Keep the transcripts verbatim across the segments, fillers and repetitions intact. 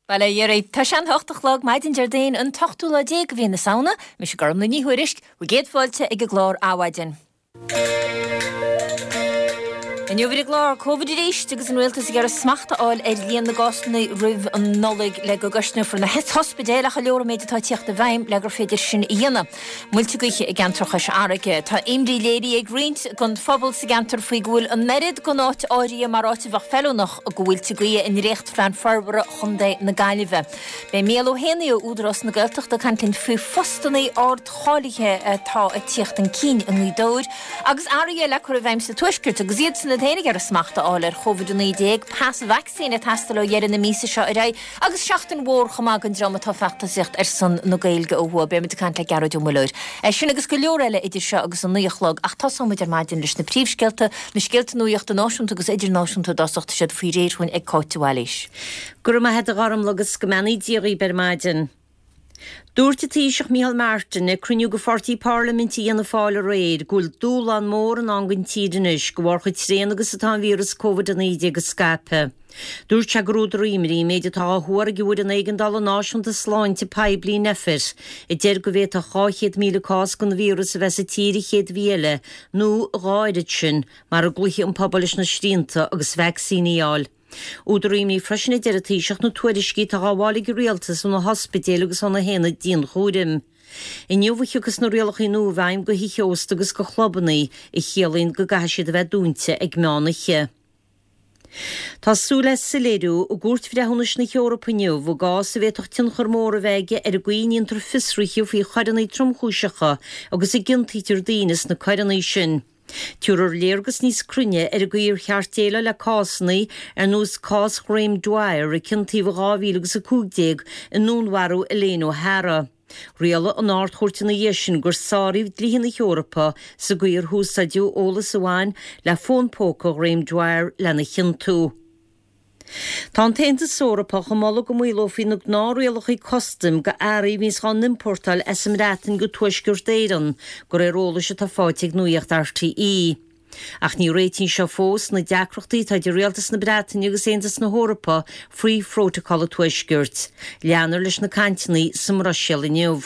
Bail ó Dhia oraibh. Tá sé an hocht a chlog maidin Déardaoin an t-ochtú lá déag de mhí na Samhna, mise Gormlaith Ní Thuairisg, bhur gcéad fáilte ag an gclár Adhmhaidin. Inniu ar an gclár, Covid arís agus an rialtas ag iarraidh smacht a fháil ar líon na gcásanna roimh an Nollaig le go gcosnófar na hospidéil ach an leor an méid atá ag tíocht i bhfeidhm le gur féidir sin a dhéanamh. Muilte gaoithe i gceantar Chois Fharraige. Tá imní léirithe ag roinnt den phobal sa gceantar faoi go bhfuil an oiread den áit áirithe mar áit a bheadh feiliúnach do mhuilte gaoithe i ndréachtphlean forbartha Chontae na Gaillimhe. Beidh Mícheál Ó hÉanaí ó Údarás na Gaeltachta ag caint linn faoi phostanna ardcháilithe atá ag tíocht chun cinn i nGaoth Dobhair agus athruithe le cur i bhfeidhm sa Tuaisceart agus iadsan iad féin ag iarraidh smacht a fháil ar Covid a naoi déag, pas vacsaíne ag teastáil ó dheireadh na míosa seo ar aghaidh agus seachtain mhór chomh maith don dream atá ag feachtasaíocht ar son na Gaeilge ó thuaidh. Beimid ag caint le Gearóid Ó Muilleoir. É sin agus go leor eile idir seo agus a naoi a chlog ach tosóimid ar maidin leis na príomhscéalta, na scéalta nuachta náisiúnta agus idirnáisiúnta i dtosach, tá siad faoi réir chugainn ag Cáit de Bhailís. Go raibh maith agat a Ghormlaith agus go mbeannaí Dia dhaoibh ar maidin. Dúirt an Taoiseach Micheál Martin ag cruinniú de pháirtí parlaiminte Fhianna Fáil aréir go bhfuil dúshlán mór i ndán don tír anois de bharr chomh tréan agus atá an víreas Covid a naoi déag ag scaipeadh. Dúirt sé gur údar imní an méid atá á thuar ag an bhFoireann Éigeandála Náisiúnta Sláinte Poiblí Nphet a deir go bhféadfadh dhá chéad míle cás den víreas a bheith sa tír an chéad mhí eile nó a dhá oiread sin mara gcloífidh an pobal leis na srianta agus vacsaíní a fháil. Údar imní freisin a deir an Taoiseach na tuairiscí atá á bhfáil ag an rialtas ó na hospidéil agus ó na haonaid dianchúraim. Inniu a thiocfas na rialacha nua i bhfeidhm do thithe ósta agus do chlubanna a chiallaíonn go gcaithfidh siad a bheith dúnta ag meán oíche. Tá súil le soiléiriú i gCúirt Bhreithiúnais na hEorpa inniu i gcás a bhféadfadh tionchar mór a bheith aige ar an gcaoi a ndéantar fiosruithe faoi choireanna tromchúiseacha agus a gciontaítear daoine sna coireanna sin. Tabharfar léargas níos cruinne ar an gcaoi ar cheart déileáil le cásanna ar nós cás Ghraham Dwyer a ciontaíodh in dhá mhíle agus a cúig déag i ndúnmharú Elaine O'Hara. Rialaigh an Ard-Chúirt ina dhiaidh sin gur sáraíodh dlíthe na hEorpa sa gcaoi ar húsáideadh eolas a bhain le fón póca Ghraham Dwyer lena chiontú. Tá an tAontas Eorpach ag moladh go maolófaí na gnáthrialacha custaim do earraí a bhíonns á n-iompórtáil as an mBreatain go Tuaisceart Éireann, de réir eolais atá faighte ag Nuacht R T E. Ach ní réitíonn seo fós na deacrachtaí atá idir Rialtas na Breataine agus Aontas na hEorpa faoi Phrótacal an Tuaiscirt. Leanfar leis na cainteanna sa mBruiséil inniu.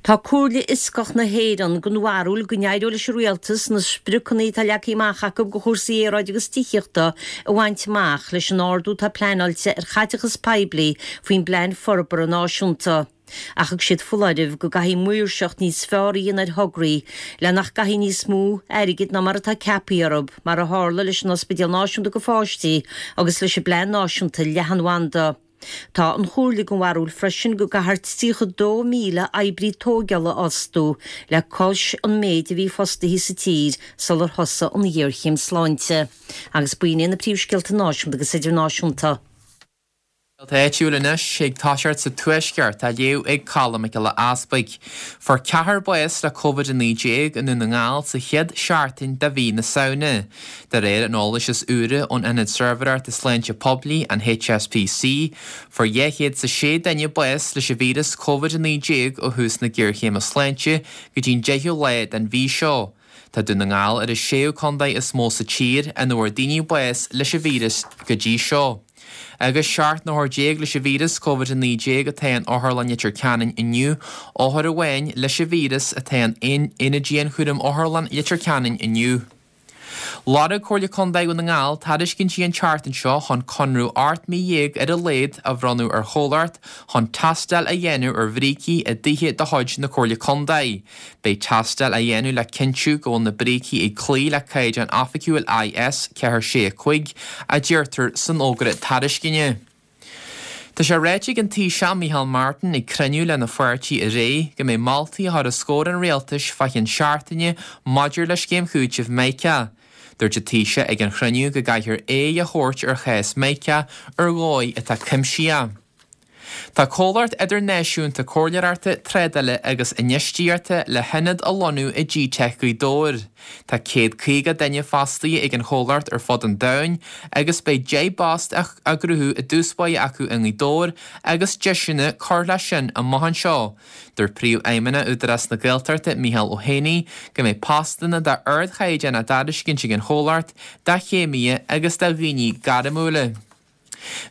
Tá Comhairle Fhioscach na hÉireann den bharúil go n-éireoidh leis an rialtas na spriocanna atá leagtha amach acu do chúrsaí aeráide agus tithíochta a bhaint amach leis an ardú atá pleanáilte ar chaiteachas poiblí faoin bPlean Forbartha Náisiúnta. Ach thug siad foláireamh go gcaithfidh maoirseacht níos fearr a dhéanamh ar thograí le nach gcaithfí níos mó airgid ná mar atá ceaptha orthu, mar a tharla leis an Ospidéal Náisiúnta do Pháistí agus leis an bPlean Náisiúnta Leathanbhanda. Tá an Chomhairle den bharúil freisin go gcaithfear tríocha dó míle oibrí tógála a fhostú le cois an méid a bhí fostaithe sa tír sular thosaigh an ghéarchéim sláinte. Agus b'in na príomhscéalta náisiúnta agus idirnáisiúnta. Áitiúil anois ag toiseacht sa Tuaisceart á léamh ag Colm Mac Giolla Easpaig. Fuair ceathrar bás le Covid a naoi déag i nDún na nGall sa chéad seachtain de mhí na Samhna. De réir an eolais is úire ón Ionad Suirbhéireachta Sláinte Poiblí an H S P C, fuair dhá chéad is a sé duine bás leis an víreas Covid a naoi déag ó thús na géarchéime sláinte go dtí'n deichiú lá den mhí seo. Tá Dún na nGall ar an séú contae is mó sa tír ina bhfuair daoine bás leis an víreas go dtí seo. Agus seacht n-othar déag leis an víreas Covid a naoi déag atá in Otharlann Leitir Ceanainn inniu, othar amháin leis an víreas atá in Aonad Dianchúraim Otharlann Leitir Ceanainn inniu. Lorg Comhairle Contae Dhún na nGall tairiscintí an tseachtain seo chun conradh ocht mí dhéag ar a laghad a bhronnadh ar chomhlacht chun tástáil a dhéanamh ar bhrící i dtithe de chuid na Comhairle Contae. Beidh tástáil á dhéanamh le cinntiú go bhfuil na brící ag cloí le caighdeán oifigiúil I S ceathair sé cúig a deirtear san fhógra tairisceana. Tá sé ráite ag an Taoiseach Micheál Martin ag cruinniú lena pháirtí aréir go mbeidh moltaí á chur os comhair an rialtais fá cheann seachtaine maidir le scéim chúitimh Mica. Dúirt an Taoiseach ag an chruinniú go gcaithfear aghaidh a thabhairt ar chás Mica ar dhóigh atá cuimsitheach. Tá comhlacht idirnáisiúnta comhairleoireachta trádála agus infheistíochta le hionad a lonnú i G Tech Ghaoth Dobhair. Tá céad caoga duine fostaithe ag an chomhlacht ar fud an domhain agus beidh deich bpost á gcruthú i dtús báire acu i nGaoth Dobhair agus deiseanna cur leis sin amach anseo. Dúirt Príomhfheidhmeannach Údarás na Gaeltachta Mícheál Ó hÉanaí go mbeidh postanna d'ardchaighdeán á dtairiscint ag an chomhlacht, do chéimithe agus do dhaoine gairmiúla.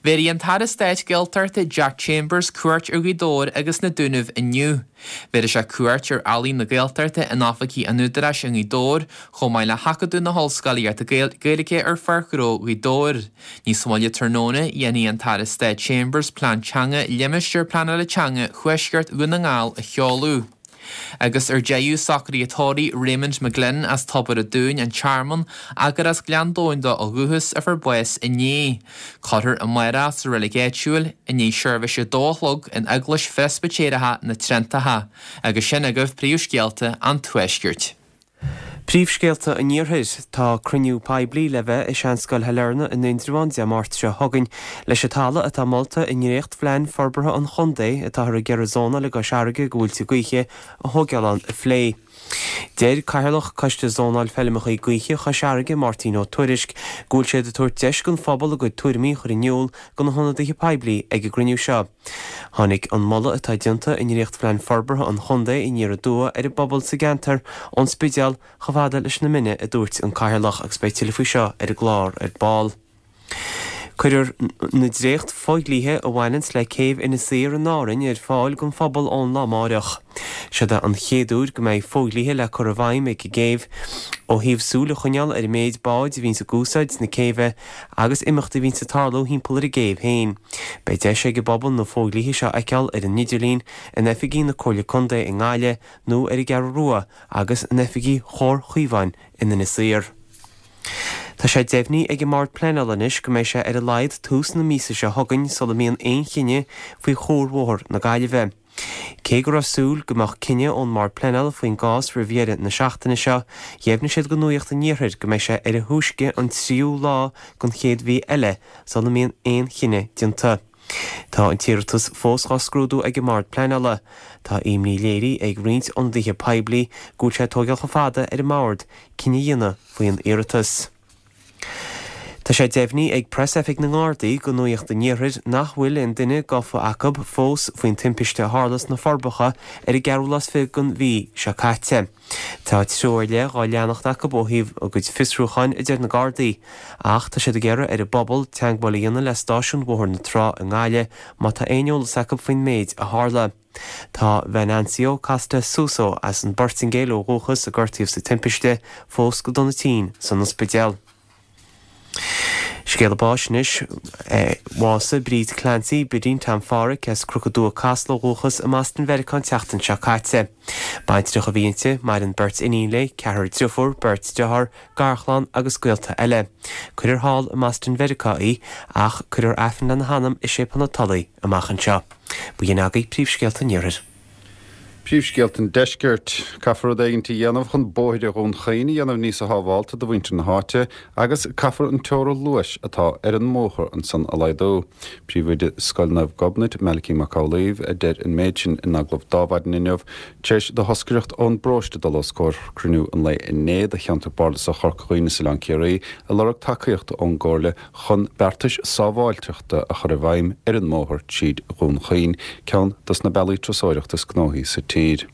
Bhéarfaidh an tAire Stáit Gaeltachta Jack Chambers cuairt ar Ghaoth Dobhair agus na Dúnaibh inniu. Bhéarfaidh sé cuairt ar Ealaín na Gaeltachta in oifigí an Údaráis i nGaoth Dobhair, chomh maith le hAcadamh na hOllscolaíochta Gaeilge ar Pháirc Ghnó Ghaoth Dobhair. Níos moille tráthnóna, dhéanfaidh an tAire Stáit Chambers plean teanga Limistéar Pleanála Teanga Thuaisceart Dhún na nGall a sheoladh. Agus ar deireadh socraithe tórraimh Raymond McGlynn as Tobar a' Dúin, an Tearmann, gur as Gleann Domhain dó ó dhúchas a fuair bás inné. Cuirfear amárach sa reilig áitiúil i ndiaidh seirbhís a dó a chlog in Eaglais Phreispitéireach na Triontacha, agus sin agaibh príomhscéalta an Tuaiscirt. Príomhscéalta an Iarthair tá cruinniú poiblí le bheith i Seanscoil Shailearna in Indreabhán Dé Máirt seo chugainn leis an talamh atá molta i ndréachtphlean forbartha an chontae atáthar ag iarraidh zónáil i gCois Fharraige do mhuilte gaoithe a thógáil ann a phlé. Deir Cathaoirleach Coiste Zónáil Feirmeacha Gaoithe Chois Fharraige Máirtín Ó Tuairisg go bhfuil siad ag tabhairt deis don phobal a gcuid tuairimí a chur in iúl do na hionadaithe poiblí ag an gcruinniú seo. Tháinig an moladh atá déanta i ndréachtphlean forbartha an chontae aniar aduaidh ar an bpobal sa gceantar ón Spidéal chomh fada leis na Mine a dúirt an Cathaoirleach agus beidh tuilleadh faoi seo ar an gclár ar ball. Cuirfear na dréacht fodhlíthe a bhaineanns le céibh Inis Oírr in Árainn ar fáil don phobal ón lá amárach. Seod é an chéad uair go mbeidh fodhlíthe le cur i bhfeidhm ag an gcéibh ó thaobh súil a choinneáil ar an méid báid a bhíonns ag úsáid na céibhe agus imeachtaí a bhíonns ag tarlú thimpeall ar an gcéibh féin. Beidh deis ag an bpobal na fodhlíthe seo a fheiceáil ar an idirlíon in oifigí na Comhairle Contae i nGaillimh nó ar an gCeathrú Rua agus in oifigí Chomhar Chaomháin in Inis Oírr. Tá sé deimhnithe ag an mBord Pleanála anois go mbeidh sé ar a laghad tús na míosa seo chugainn sula mbíonn aon chinneadh faoi chuarbhóthar na Gaillimhe. Cé go raibh súil go mbeadh cinneadh ón mBord Pleanála faoin gcás roimh dheireadh na seachtaine seo, dheimhnigh siad do Nuacht an Iarthair go mbeidh sé ar a thúisce an tríú lá den chéad mhí eile sula mbíonn aon chinneadh déanta. Tá an t-iarratas fós á scrúdú ag an mBord Pleanála. Tá imní léirithe ag roinnt ionadaithe poiblí go bhfuil sé ag tógáil chomh fada ar an mbord cinneadh a dhéanamh faoin iarratas. Tá sé deimhnithe ag Preasoifig na nGardaí do Nuacht an Iarthair nach bhfuil aon duine gafa acu fós faoin timpiste a tharla sna Forbacha ar an gceathrú lá is fiche den mhí seo caite. Tá treo ar leith á leanacht acu ó thaobh a gcuid fiosrúcháin a deir na Gardaí, ach tá siad ag iarraidh ar an bpobal teagmháil a dhéanamh le stáisiún Bhóthar na Trá i nGaillimh má tá aon eolas acu faoin méid a tharla. Tá Venancio Costa Suso as an bPortaingéil ó dhúchas a gortaíodh sa timpiste fós go dona tinn san ospidéal. Scéala báis anois bhásaigh Bríd Clancy, Bidín Tom Pháraic as Cnoc an Dua Casla ó dhúchas i mBoston Mheiriceá an tseachtain seo caite. Baintreach a bhí inti, maireann beirt iníon léi, ceathrar deirfiúr, beirt dearthár, garchlann agus gaolta eile. Cuirfear thall i mBoston Mheiriceá í ach cuirfear Aifreann lena hanam i Séipéal na Tulaí amach anseo. B'in agaibh príomhscéalta an Iarthair. Príomhscéalta an Deiscirt caithfear rud éigin a dhéanamh chun bóithre Dhún Chaoin a dhéanamh níos sábháilte do mhuintir na háite agus caithfear an teora luais atá ar an mbóthar ansan a laghdú. Príomhoide Scoil Naomh Gobnait Malachy Mac Amhlaoibh a deir an méid sin in agallamh d'Adhmhaidin inniu tar éis do thoscaireacht ón bparóiste dul os comhair cruinniú an lae inné de cheantar bardasach Chorca Dhuibhne is Oileán Ciarraí ag lorg tacaíocht ón gComhairle chun beartais sábháilteachta a chur i bhfeidhm ar an mbóthar tríd Dhún Chaoin, ceann dos na bealaí turasóireachta is gnóthaí sa tír.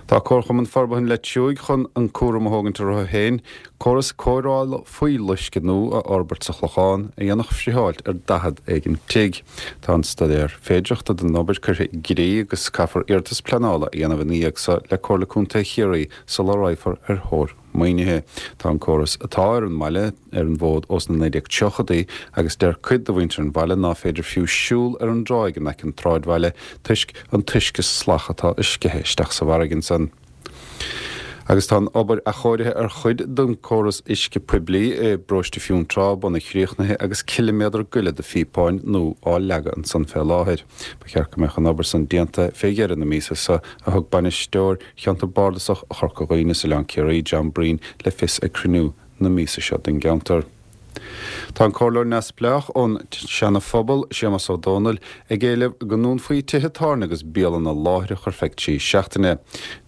Tá Comharchumann Forbartha an Leitriúigh chun an cúram a thógaint orthu féin, córas cóireála fuíolluisce nua a fhorbairt sa Chlochán a dhéanfadh friotháilt ar daichead éigin tigh. Tá an staidéar féidearthachta don obair curtha i gcrích agus caithfear iarratas pleanála a dhéanamh ina dhiaidh seo le Comhairle Contae Chiarraí sula raghfar ar thóir maoinithe. Tá an córas atá ar an mbaile ar an bhfód ós na naoi déag tríochaidí agus deir cuid de mhuintir an bhaile ná féidir fiú siúl ar an dtráigh in aice an tsráidbhaile toisc an t-uisce salach atá ag sceitheadh isteach sa bhfarraige ansan. Agus tá an obair athchóirithe ar chuid den córas uisce poiblí i bparóiste Fionntrá bunaidh críochnaithe agus ciliméadar go leith de phíopáin nua á leagadh ansan fé láthair. Ba cheart go mbeadh an obair san déanta fé dheireadh na míosa seo a thug bainisteoir cheantar bardasach Chorca Dhuibhne is Oileán Ciarraí John Breen le fios ag cruinniú na míosa seo den gceantar. Tá an comhairleoir neamhspleách ón Seana Phobal Séamus Ó Dónaill ag éileamh go ndúnfaí tithe tábhairne agus bialanna láithreach ar feadh trí seachtaine.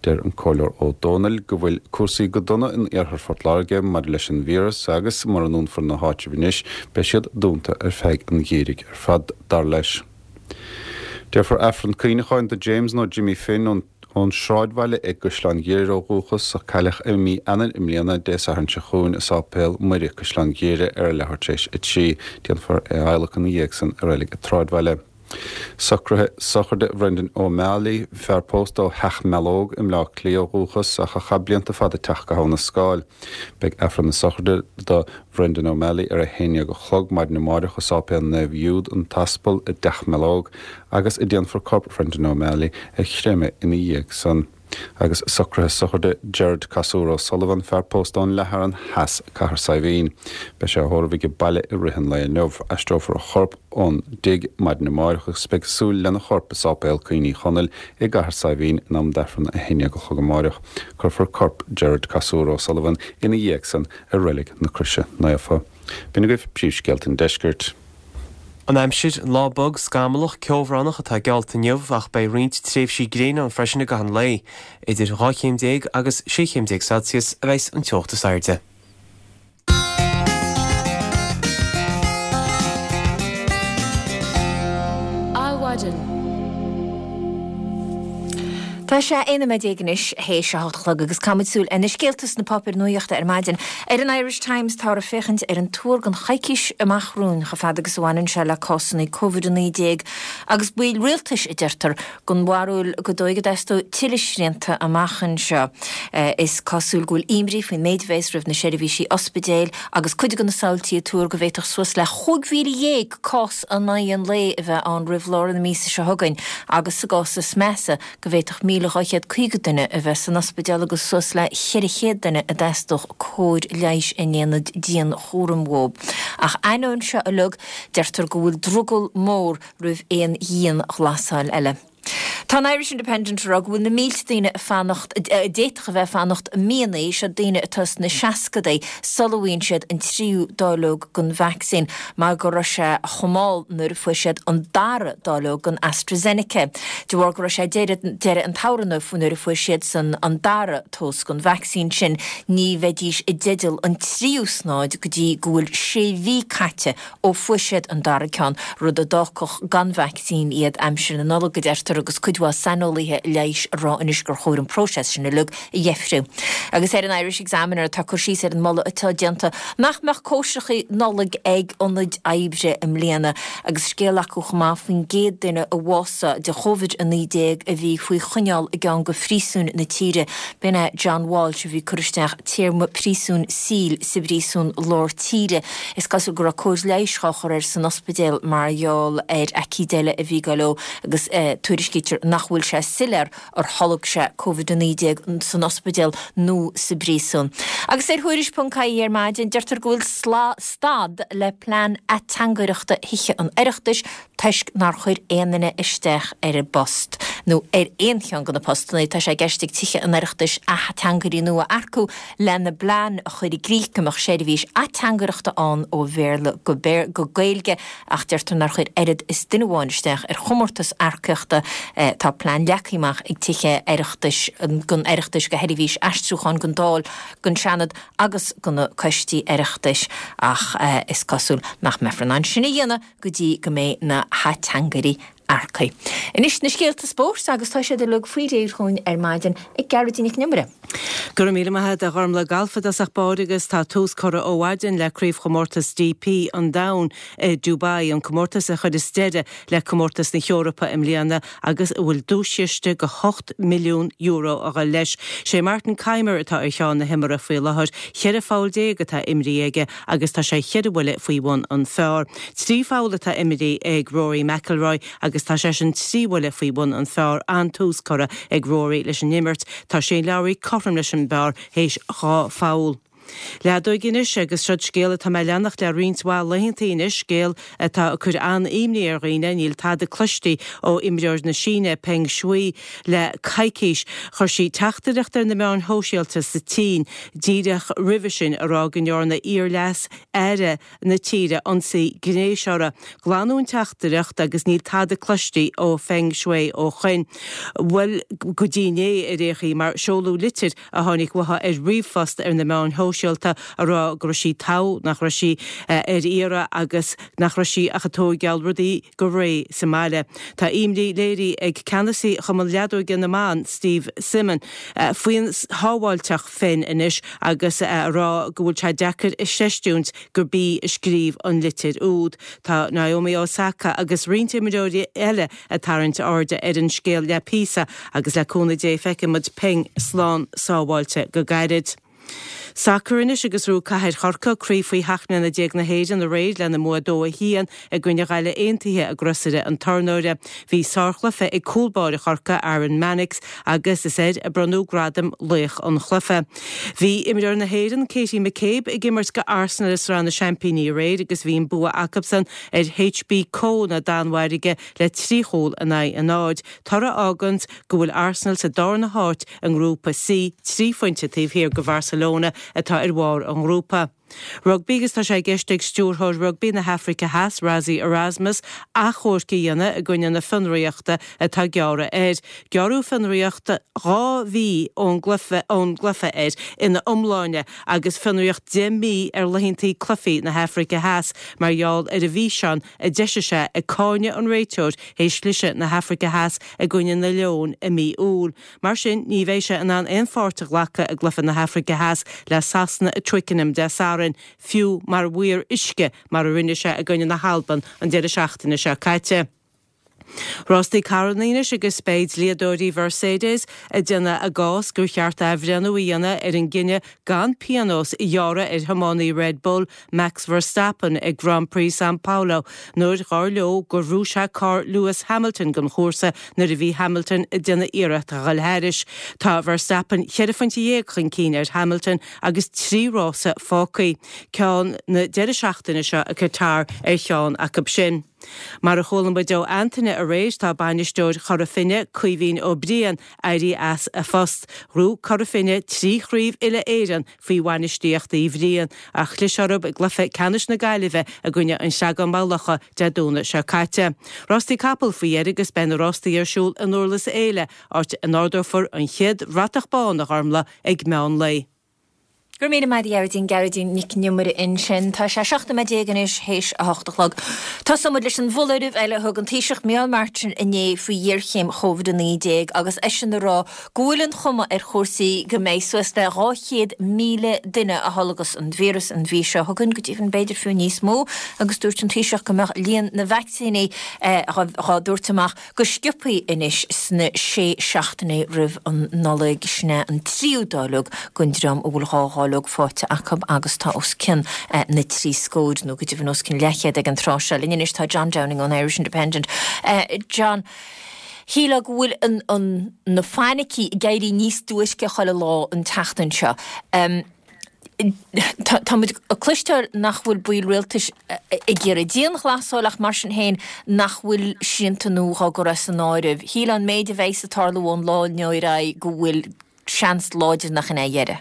Deir an comhairleoir Ó Dónaill go bhfuil cúrsaí go dona in iarthar Phort Láirge maidir leis an víreas agus mura ndúnfar na háitribh anois beidh siad dúnta ar feadh an gheimhridh ar fad dar leis. Déarfar Aifreann cuimhneacháin do James nó Jimmy Finn ón Ón Sráidbhaile i gCaisleán Ghéire ó dhúchas, a cailleadh i mí Eanáir i mbliana, Dé Sathairn seo chugainn i Sáipéal Muire, Caisleán Ghéire ar a leathuair tar éis a trí. Déanfar é a adhlacadh ina dhiaidh san i Reilig an tSráidbhaile. Socruithe sochraide Bhrendan O'Malley, fear pósta ó Theach Mealóg i mBleá Cliath ó dhúchas ach a chaith blianta fada ag teacht go hAbha na Scáil. Beidh Aifreann na sochraide do Bhrendan O'Malley ar a haon déag a chlog maidin amáireach i Sáipéal Naomh Jude an tAspal i dTeach Mealóg agus déanfar corp Bhrendan O'Malley a chreimeadh ina dhiaidh san. Agus socruithe sochraide Gerard Casúr O'Sullivan, fear pósta ón Leathfhearann Theas, Cathair Saidhbhín. Beidh sé á thórramh aige baile i rith an lae inniu. Aistreofar a chorp ón dtigh maidin amáireach agus beidh súil lena chorp i Sáipéal Cuimhne Uí Chonaill i gCathair Saidhbhín in am d'Aifreann a haon déag a chlog amáireach. Cuirfear corp Gerard Casúr O'Sullivan ina dhiaidh san i Reilig na Croise Naofa. B'in agaibh príomhscéalta an deiscirt. An aimsir, Lá bog, scamallach, ceobhránach atá geallta inniu ach beidh roinnt tréimhsí gréine ann freisin i gcaitheamh an lae. Idir dhá chéim déag agus sé chéim déag Celsius a bheas an teocht is airde. Adhmhaidin. Tá sé aon nóiméad déag anois théis a hocht a chlog agus caithfimid súil ar na scéalta sna páipéir nuachta ar maidin. Ar an Irish Times táthar ag féachaint ar an tuar don choicís amach romhainn chomh fada agus a bhaineann sé le cásanna Covid a naoi déag agus baill rialtais a deirtear den bharúil go dóigh go dteastóidh tuilleadh srianta amach anseo. Is cosúil go bhfuil imní faoin méid a bheas roimh na seirbhísí ospidéil agus cuid de na samhaltaí ag tuar go bhféadfadh suas le chúig mhíle dhéag cás in aghaidh an lae a bheith ann roimh lár na míosa seo chugainn agus sa gcás is measa go bhféadfadh míle dhá chéad caoga duine a bheith san ospidéal agus suas le ceithre chéad duine a dteastódh cóir leighis in aonad dianchúraim uathu. Ach ainneoin seo uilig, deirtear go bhfuil drogall mór roimh aon dhianghlasáil eile. Tá an Irish Independent ag rá go bhfuil na mílte daoine ag fanacht, a d'fhéadfadh a bheith ag fanacht míonna, seo daoine atá sna seascadaí, sula bhfaigheann siad an tríú dáileog den vacsaín mar go raibh sé chomh mall nuair a fuair siad an dara dáileog den AstraZeneca. De bharr go raibh sé deireadh deireadh an tsamhraidh nuair a fuair siadsan an dara dós den vacsaín sin, ní bheidís i dteideal an tríú snáid go dtí go bhfuil sé mhí caite ó fuair siad an dara ceann, rud a d'fhágfadh gan vacsaín iad aimsir na Nollag, a deirtear, agus cuid mhaith saineolaithe leighis ag rá anois gur chóir an próiseas sin uilig a dheifriú. Agus ar an Irish Examiner tá cur síos ar an moladh atá déanta nach mbeadh cóisireacha Nollag ag ionaid oibre i mbliana agus scéal acu chomh maith faoin gcéad duine a bhásaigh de Chóvid a naoi déag a bhí faoi choinneáil i gceann de phríosúin na tíre. B'in é John Walsh a bhí ag cur isteach téarma príosúin saoil sa bpríosún lár tíre. Is cosúil go raibh cóir leighis á chur air san ospidéal mar gheall ar aicíd eile a bhí ag goil dó agus tuairiscítear nach bhfuil sé soiléir ar tholg sé Covid a naoi déag san ospidéal nó sa bpríosún. Agus ar Thuairisc ponc ie ar maidin, deirtear go bhfuil stad le plean ateangaireachta Thithe an Oireachtais toisc nár chuir aon duine isteach ar an bpost, nó ar aon cheann de na postanna. Tá sé i gceist ag Tithe an Oireachtais ateangairí nua a earcú lena bplean a chur i gcrích go mbeadh seirbhís ateangaireachta ann ó Bhéarla go Gaeilge ach deirtear nár chuir oiread is duine amháin isteach ar chomórtas earcaíochta. Tá plean leagtha amach ag Tithe Oireachtais an Oireachtais do sheirbhís aistriúcháin don Dáil, don Seanad agus do na coistí Oireachtais ach is cosúil nach mbeifear in ann sin a dhéanamh go dtí go mbeidh na hateangairí earcaithe. Anois na scéalta spóirt agus tá siad uilig faoi réir chugainn ar maidin ag Gearóidín Nic an Iomaire. Go raibh míle maith agat a Ghormlaith. Galf i dtosach báire agus tá tús curtha ó mhaidin le Craobhchomórtas D P an Domhain i Dubai, an comórtas a chuireas deireadh le comórtas na hEorpa i mbliana agus a bhfuil duaischiste de hocht milliún euro a dhul leis. Sé Martin Kaymer atá ar cheann na himeartha faoi láthair, cheithre pholl déag atá imrithe aige agus tá sé cheithre bhuille faoi bhun an phar. Trí pholl atá imrithe ag Rory McIlroy agus tá seisean trí bhuille faoi bhun an phar. An-tús curtha ag Rory leis an imirt. Tá Shane Lowry cothrom leis an bpar théis dhá pholl. Leadóg anois agus seo scéal atá mé ag leanacht le roinnt mhaith laethanta anois, scéal atá ag cur an-imní ar dhaoine, níl tada cloiste ó imreoir na Síne, Peng Shuai, le coicís. Chuir sí teachtaireacht ar na meáin shóisialta sa tSín díreach roimhe sin a rá go ndearna iar-leas-aire na tíre ionsaí gnéis uirthi. Glanadh an teachtaireacht agus níl tada cloiste ó Feng Shui ó shin. Bhuel, go dtí inné ar aon chaoi, mar seoladh litir a tháinig uaithi ar ríomhphost ar na meáin shóisialta. shóisialta a rá go raibh sí togha, nach raibh sí ar iarraidh agus nach raibh sí ach ag tóigeáil rudaí go réidh sa mbaile. Tá imní léirithe ag ceannasaí Chumann Leadóige na mBan, Steve Simon, faoin sábháilteacht Phen anois agus a rá go bhfuil sé deacair a chreistiúint gurb í a scríobh an litir úd. Tá Naomi Osaka agus roinnt imreoirí eile ag tarraingt airde ar an scéal le píosa agus le cúnamh Dé feicfidh muid Peng slán sábháilte go gairid. Sacar anois agus ghnóthaigh Cathair Chorcaí craobh faoi sheacht mbliana déag na hÉireann aréir lena mbua dó a haon i gcoinne Ghaillimh Aontaithe i gCrosaire an Tornóra. Bhí sárchluiche ag cúl báire Chorcaí, Aaron Mannix, agus is air a bronnadh gradam laoch an chluiche. Bhí imreoir na hÉireann, Katie McCabe, ag imirt go Arsenal i Sraith na Seaimpíní aréir agus bhí an bua acusan ar HBK na Danmhairge le trí chúl in aghaidh a náid, toradh a fháganns go bhfuil Arsenal sa darna háit i nGrúpa C, trí phointe taobh thiar de Bharcelona atá ar bharr an ghrúpa. Rugbaí agus tá sé i gceist ag stiúrthóir rugbaí na hAfraice Theas, Rassie Erasmus, achomharc a dhéanamh i gcoinne na fionraíochta atá gearrtha air. Gearradh fionraíocht dhá mhí ón gcluiche air ina iomláine agus fionraíocht deich mí ar laethanta cluichí na hAfraice Theas mar gheall ar an bhfíseán a d'eisigh sé ag cáineadh an réiteoir théis chliseadh na hAfraice Theas i gcoinne na Leoin i mí Iúil. Mar sin, ní bheidh sé in ann aon pháirt a ghlacadh i gcluiche na hAfraice Theas le Sasana i Twickenham Dé Sathairn, fiú mar mhaor uisce mar a rinne sé i gcoinne na hAlban an deireadh seachtaine seo caite. Rástaí carranna anois agus beidh dlíodóirí Mhercedes ag déanamh a gcás gur cheart athbhreithniú a dhéanamh ar an gcinneadh gan pionós a ghearradh ar thiománaí Red Bull, Max Verstappen ag Grand Prix San Paulo nuair dhar leo gur bhrú sé carr Lewis Hamilton den chúrsa nuair a bhí Hamilton ag déanamh iarracht a dhul thairis. Tá Verstappen cheithre phointe dhéag chun cinn ar Hamilton agus trí rása fágtha, ceann na deireadh seachtaine seo i Qatar ar cheann acu sin. Mar a chuala muid ó Antaine aréir, tá bainisteoir Chora Finne, Caoimhín Ó Briain, éirithe as a phost. Ghnóthaigh Cora Finne trí chraobh uile-Éireann faoi bhainistíocht Uí Bhriain, ach chlis orthu i gcluiche ceannais na Gaillimhe i gcoinne an Chreagáin Maigh Locha Dé Domhnaigh seo caite. Rástaí capall faoi dheireadh agus beidh na rástaí ar siúl i nDurlas Éile, áit a n-ardófar an chéad bhratach bán, a Ghormlaith, ag meán lae. Go raibh míle maith agat a Ghearóidín, Gearóidín Nic an Iomaire ansin. Tá sé seacht nóiméad déag anois théis a hocht a chlog. Tosóidh muid leis an bhfoláireamh eile a thug an Taoiseach Micheál Martin inné faoi ghéarchéim Covid a naoi déag agus eisean ag rá go bhfuil an chuma ar chúrsaí go mbeidh suas le dhá chéad míle duine a tholgas an víreas an mhí seo chugainn, go deimhin b'fhéidir fiú níos mó, agus dúirt an Taoiseach go mbeadh líon na vacsaíní dhá dtabhairt amach go sciobthaí anois sna sé seachtainí roimh an Nollaig. Sin é an tríú dáileog don dream a bhfuil dhá dháileog faighte acu agus tá os cionn na trí scóir, nó go deimhin os cionn leathchéad ag an tráth seo. Linn anois tá John Downing ón Irish Independent. John, shílfeá go bhfuil an na fainicí ag éirí níos duairce chuile lá an tseachtain seo. Tá muid ag cloisteáil nach bhfuil baill rialtais ag iarraidh dianghlasáil ach mar sin féin nach bhfuil srianta nua á gcur as an áireamh. Shílfeá an méid a bheas ag tarlú ón lá inniu ar aghaidh go bhfuil seans láidir nach in é a dheireadh.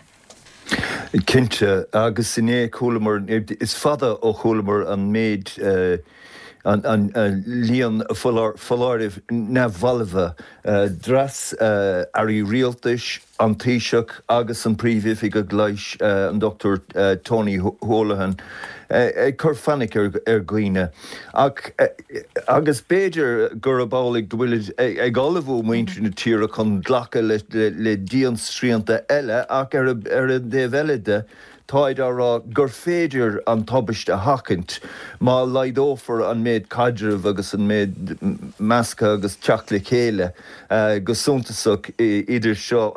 Cinnte, agus inné chualamar, is fada ó chualamar an méid, an líon foláirimh neamhbhalbha. D'fhreas airí rialtais, an Taoiseach agus an Príomhoifigeach Leighis, an Dochtúir Tony Holohan, ag cur fainic ar dhaoine. Ach, agus b'fhéidir gurb amhlaidh go bhfuilid ag ullmhú muintir na tíre chun glacadh le diansrianta eile, ach ar an dtaobh eile de, Táid á rá gur féidir an tubaiste a sheachaint má laghdófar an méid caidrimh agus an méid measctha agus teacht le chéile go suntasach idir seo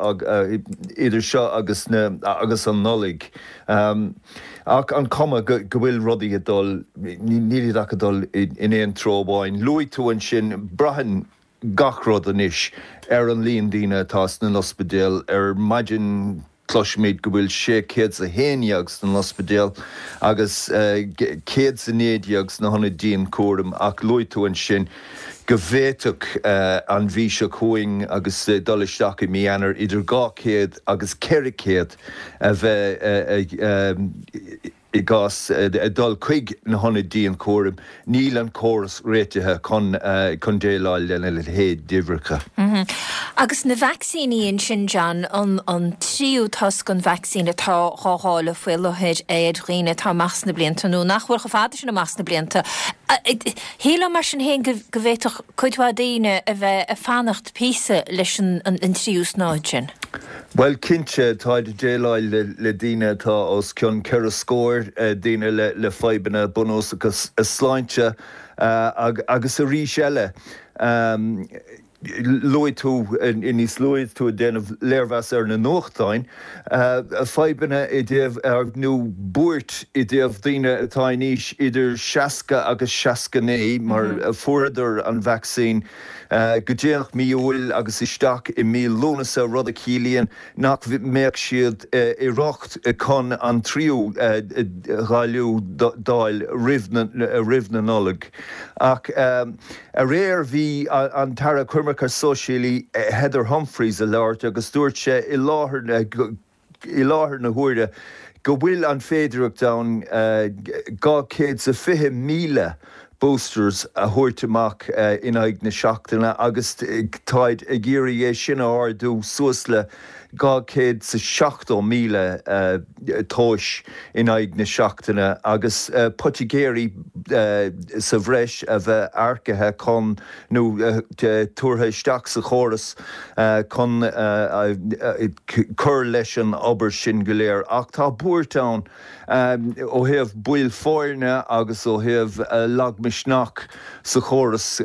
idir seo agus na agus an Nollaig. Ach an cuma go bhfuil rudaí ag dul, nílid ach ag dul in aon treo amháin. Luaigh tú ansin, braitheann gach rud anois ar an líon daoine atá sna n-ospidéal. Ar maidin cloisimid go bhfuil sé chéad 's a haon dhéag sna n-ospidéal agus céad 's a naoi déag sna hionaid dianchúraim ach luaigh tú ansin go bhféadfadh an mhí seo chugainn agus dul isteach i mí Eanáir idir dhá chéad agus ceithre chéad a bheith i gcás dul chuig na hionaid dianchúraim, níl an córas réitithe chun chun déileáil lena leithéid d'uimhreacha. Agus na vacsaíní ansin, John, an an tríú toisc an vacsaín atá dhá dháileadh faoi láthair ar dhaoine atá amach sna blianta nó nach bhfuil chomh fada sin amach sna blianta. Shílfeá mar sin féin go go bhféadfadh cuid mhaith daoine a bheith ag fanacht píosa leis an an tríú snáithe sin. Bhuel, cinnte, táid ag déileáil le daoine atá os cionn ceithre scór, daoine le fadhbanna bunúsacha sláinte agus arís eile, luaigh tú níos luaithe tú ag déanamh léirmheas ar na nuachtáin, fadhbanna i dtaobh, nó buairt i dtaobh daoine atá in aois idir seasca agus seasca naoi mar fuaireadar an vacsaín go déanach mí Iúil agus isteach i mí Lúnasa, rud a chiallaíonn nach mbeadh siad i riocht chun an tríú dáileadh d'fháil roimh na Nollag. Ach aréir bhí an tAire Coimirce Sóisialaí Heather Humphreys ag labhairt agus dúirt sé i láthair i láthair na huaire go bhfuil an féidearthacht ann dhá chéad is a fiche míle boosters a thabhairt amach in aghaidh na seachtaine agus táid ag iarraidh é sin a ardú suas le dhá chéad is a seachtó míle tomhais in aghaidh na seachtaine agus poitigéirí sa bhreis a bheith earcaithe chun nó tabhartha isteach sa chóras chun cur leis an obair sin go léir. Ach tá buairt ann ó thaobh baill foirne agus ó thaobh lagmhisneach sa chóras.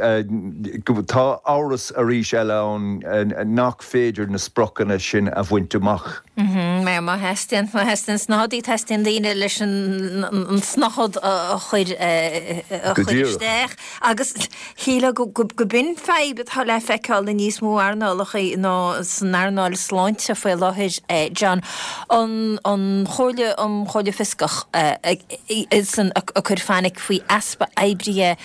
Tá amhras arís eile ann nach féidir na spriocanna sin a bhaint amach. Má má theastaíonn, má theastaíonn snáthaidí, teastaíonn daoine leis an snáthaid a chur a Go chur díreach. isteach. Agus shílfeá go go go b'in fadhb atá le feiceáil i níos mó earnálacha ná san earnáil sláinte faoi láthair, John. An an Chomhairle um Chomhairle Fioscach san ag cur fainic faoi easpa oibrithe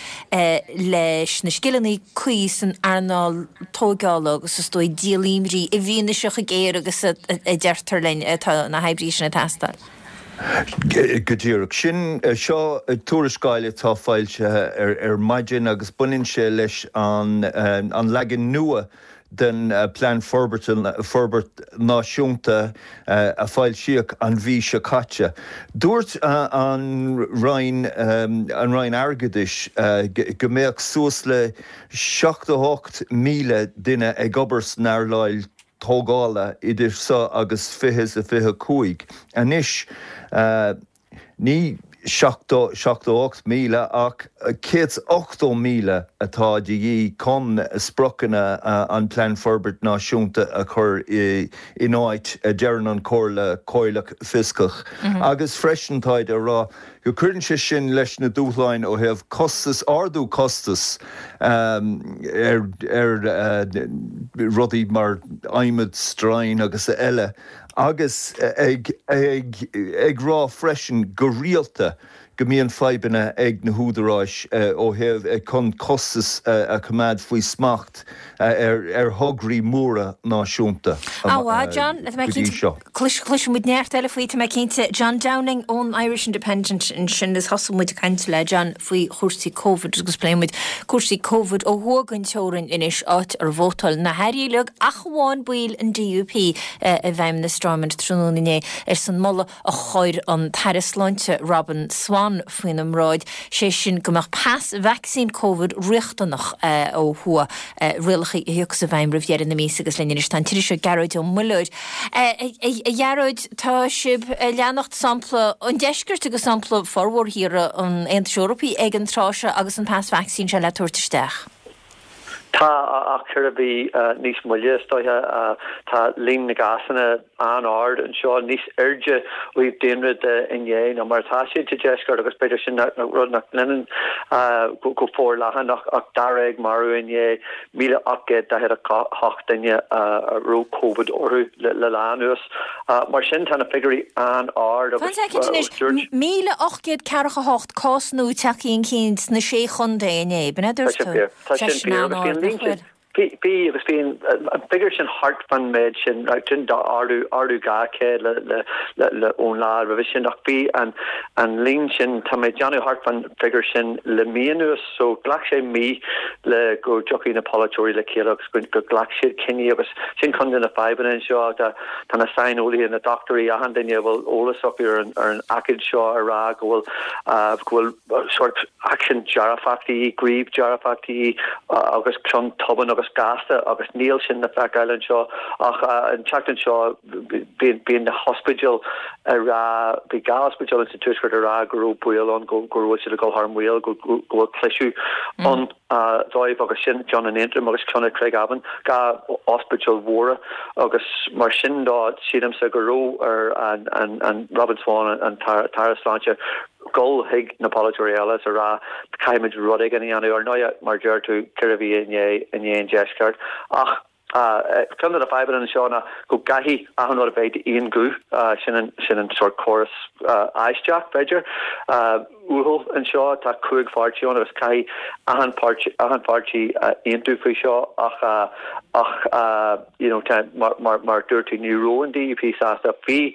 leis na scileanna cuí san earnáil tógála agus is dóigh díolaimrí i bhfianaise chomh géar agus a deirtear linn atá na hoibrithe sin ag teastáil. Go díreach. Sin seo tuarascáil atá foilsithe ar ar maidin agus baineann sé leis an an leagan nua den Plean Forbartha Forbairt Náisiúnta a foilsíodh an mhí seo caite. Dúirt an Roinn an Roinn Airgeadais go mbeadh suas le seachtó hocht míle duine ag obair san earnáil tógála idir seo agus fiche is a fiche cúig. Anois ní seachtó seachtó ocht míle ach céad is ochtó míle atá de dhíth chun spriocanna an Plean Forbairt Náisiúnta a chur in áit, a deireann an Chomhairle Comhairleach Fioscach. Agus freisin táid a rá go gcuireann sé sin leis na dúshláin ó thaobh costas, ardú costas ar ar rudaí mar adhmad, stroighin agus eile, agus ag ag ag rá freisin go rialta go mbíonn fadhbanna ag na húdaráis ó thaobh chun costas a choimeád faoi smacht ar ar thograí móra náisiúnta Á, John, tá mé go dtí cinnte seo. Cloisfidh muid neart eile faoi, tá mé cinnte. John Downing ón Irish Independent ansin is thosaigh muid ag caint le John faoi chúrsaí Covid agus pléifidh muid cúrsaí Covid ó thuaidh den teorainn anois áit ar vótáil na hairí uilig ach amháin baill an D U P i bhFeidhmeannas Stormont tráthnóna inné ar son moladh a chuir an tAire Sláinte Robin Swann faoina mbráid, sé sin go mbeadh pas vacsaín Covid riachtanach ó thuaidh, rialacha a thiocfas i bhfeidhm roimh dheireadh na míosa agus linn anois tá an t-iriseoir Gearóid Ó Muilleoir. A Ghearóid, tá sibh ag leanacht sampla an deiscirt agus sampla formhór thíortha an Aontais Eorpaigh ag an tráth seo agus an pas vacsaín seo le tabhairt isteach. Tá, ach ceithre mhí níos moille is dóiche. Tá líon na gcásanna an-ard anseo, níos airde ó thaobh daonra de inné ná mar atá siad sa deisceart agus b'fhéidir sin rud nach leanann go forleathan ach ach dáréag marbh inné, míle ocht gcéad daichead a hocht duine a raibh Covid orthu le lá anuas. Mar sin tá na figiúirí an-ard agus dúirt. Míle ocht gcéad ceathracha a hocht cás nua tagtha chun cinn sna sé chontae inné, b'in é a dúirt tú? Tá sin fíor. Tá sin fíor agus bhí an líon sin. Bhí, bhí agus bhí an figiúr sin thart fán méid sin, sin ardú, ardú dhá chéad le, le, le, le ón lá roimhe sin ach bhí an, an líon sin, tá mé ag déanamh thart fán figiúr sin le mí anuas so ghlac sé mí le go dtiocfaidh na polaiteoirí le chéile agus go, go ghlac siad cinní agus sin ceann de na fadhbanna anseo, tá, tá na saineolaithe, na dochtúirí, achan duine a bhfuil eolas acu ar an, ar an aicíd seo a rá go bhfuil, go bhfuil sórt aicsean dearfach de dhíth, gníomh dearfach de dhíth agus ceann tobann agus gasta agus níl sin le feiceáil anseo ach an tseachtain seo bíonn bíonn na hospidéil ag rá, bhí dhá ospidéal sa tuaisceart ag rá go raibh baol ann go go raibh siad ag dul thar maoil, go go bhfuil cliseadh ann dóibh agus sin ceann in Aontroim agus ceann i Craigavon, dhá ospidéal mhóra agus mar sin dó sílimse go raibh ar an an an Robin Swann an tAire Sláinte dul chuig na polaiteoirí eile is a rá caithfimid rud éigin a dhéanamh. Ar ndóigh, mar a deir tú, ceithre mhí i ndiaidh i ndiaidh an deisceart. Ach ceann de na fadhbanna anseo ná go gcaithfidh achan rud a bheith d'aon ghuth, sin an sin an sórt córas aisteach, b'fhéidir, uathúil anseo. Tá cúig pháirtí ann agus caithfidh achan páirtí achan pháirtí aontú faoi seo ach ach you know tá mar mar mar a dúirt tú ní raibh an DUP sásta. Bhí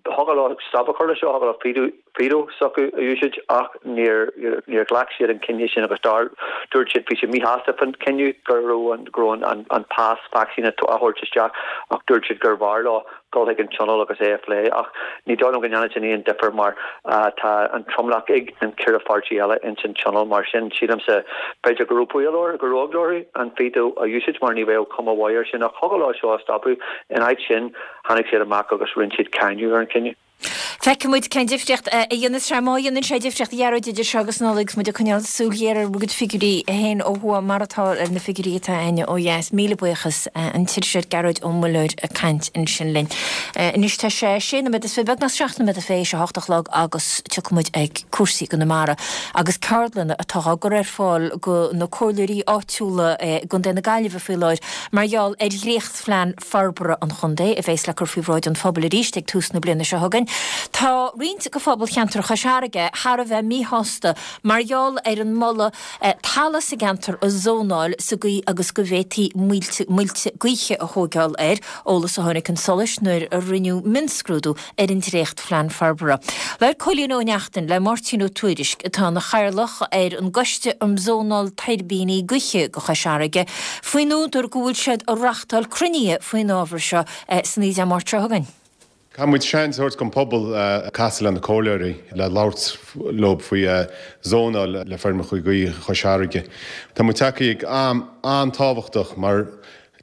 Thiocfadh leo stop a chur leis seo, thiocfadh leo veto, veto s'acu a úsáid ach níor, níor ghlac siad an cinneadh sin agus dar, dúirt siad, bhí siad míshásta faoin cinneadh go raibh an, go raibh an, an pas vacsaíne á thabhairt isteach ach dúirt siad gurbh fhearr leo dul chuig an Tionól agus é a phlé ach ní dóigh liom go ndéanfaidh sin aon difear mar tá an tromlach ag an ceithre pháirtí eile ins an Tionól mar sin sílimse b'fhéidir go raibh baol orthu, go raibh eagla orthu an veto a úsáid mar ní bheadh cuma mhaith air sin ach thiocfadh leo seo a stopadh in áit sin Tháinig siad amach agus rinne siad cáineadh ar an chinneadh. Feicfidh muid cén difríocht a dhéanfas sé, má dhéanann sé difríocht, a Ghearóid, idir seo agus Nollaig, agus muid ag coinneáil súil ghéar ar bhur gcuid figiúirí féin ó thuaidh mar atá ar na figiúirí atá againne ó dheas. Míle buíochas, an t-iriseoir Gearóid Ó Muilleoir ag caint ansin linn. Anois tá sé sé nóiméad is fiche, beagnach seacht nóiméad théis a hocht a chlog agus tiocfaidh muid ag cúrsaí i gConamara agus ceardlanna atá á gcur ar fáil go na comhairleoirí áitiúla i gContae na Gaillimhe faoi láthair mar gheall ar dhréachtphlean forbartha an chontae, a bheas le cur faoi bhráid an phobail arís ag tús na bliana seo chugainn. Tá roinnt de phobal cheantar Chois Fharraige thar a bheith míshásta mar gheall ar an moladh talamh sa gceantar a zónáil sa gcaoi agus go bhféadfaí muilte gaoithe a thóigeáil air, eolas a tháinig chun solais nuair a rinneadh mionscrúdú ar an dréachtphlean forbartha. Labhair Cóilín Ó Neachtain le Máirtín Ó Tuairisg, atá ina chathaoirleach ar an gCoiste um Zónáil Tuirbíní Gaoithe do Chois Fharraige, faoin údar go bhfuil siad ag reachtáil cruinnithe faoin ábhar seo san oíche Dé Máirt seo chugainn. Caithfidh muid seans a thabhairt don phobal casadh le na comhairleoirí le labhairt leo faoi zónáil le feirmeacha gaoithe Chois Fharraige. Tá muid tagtha ag am an-tábhachtach mar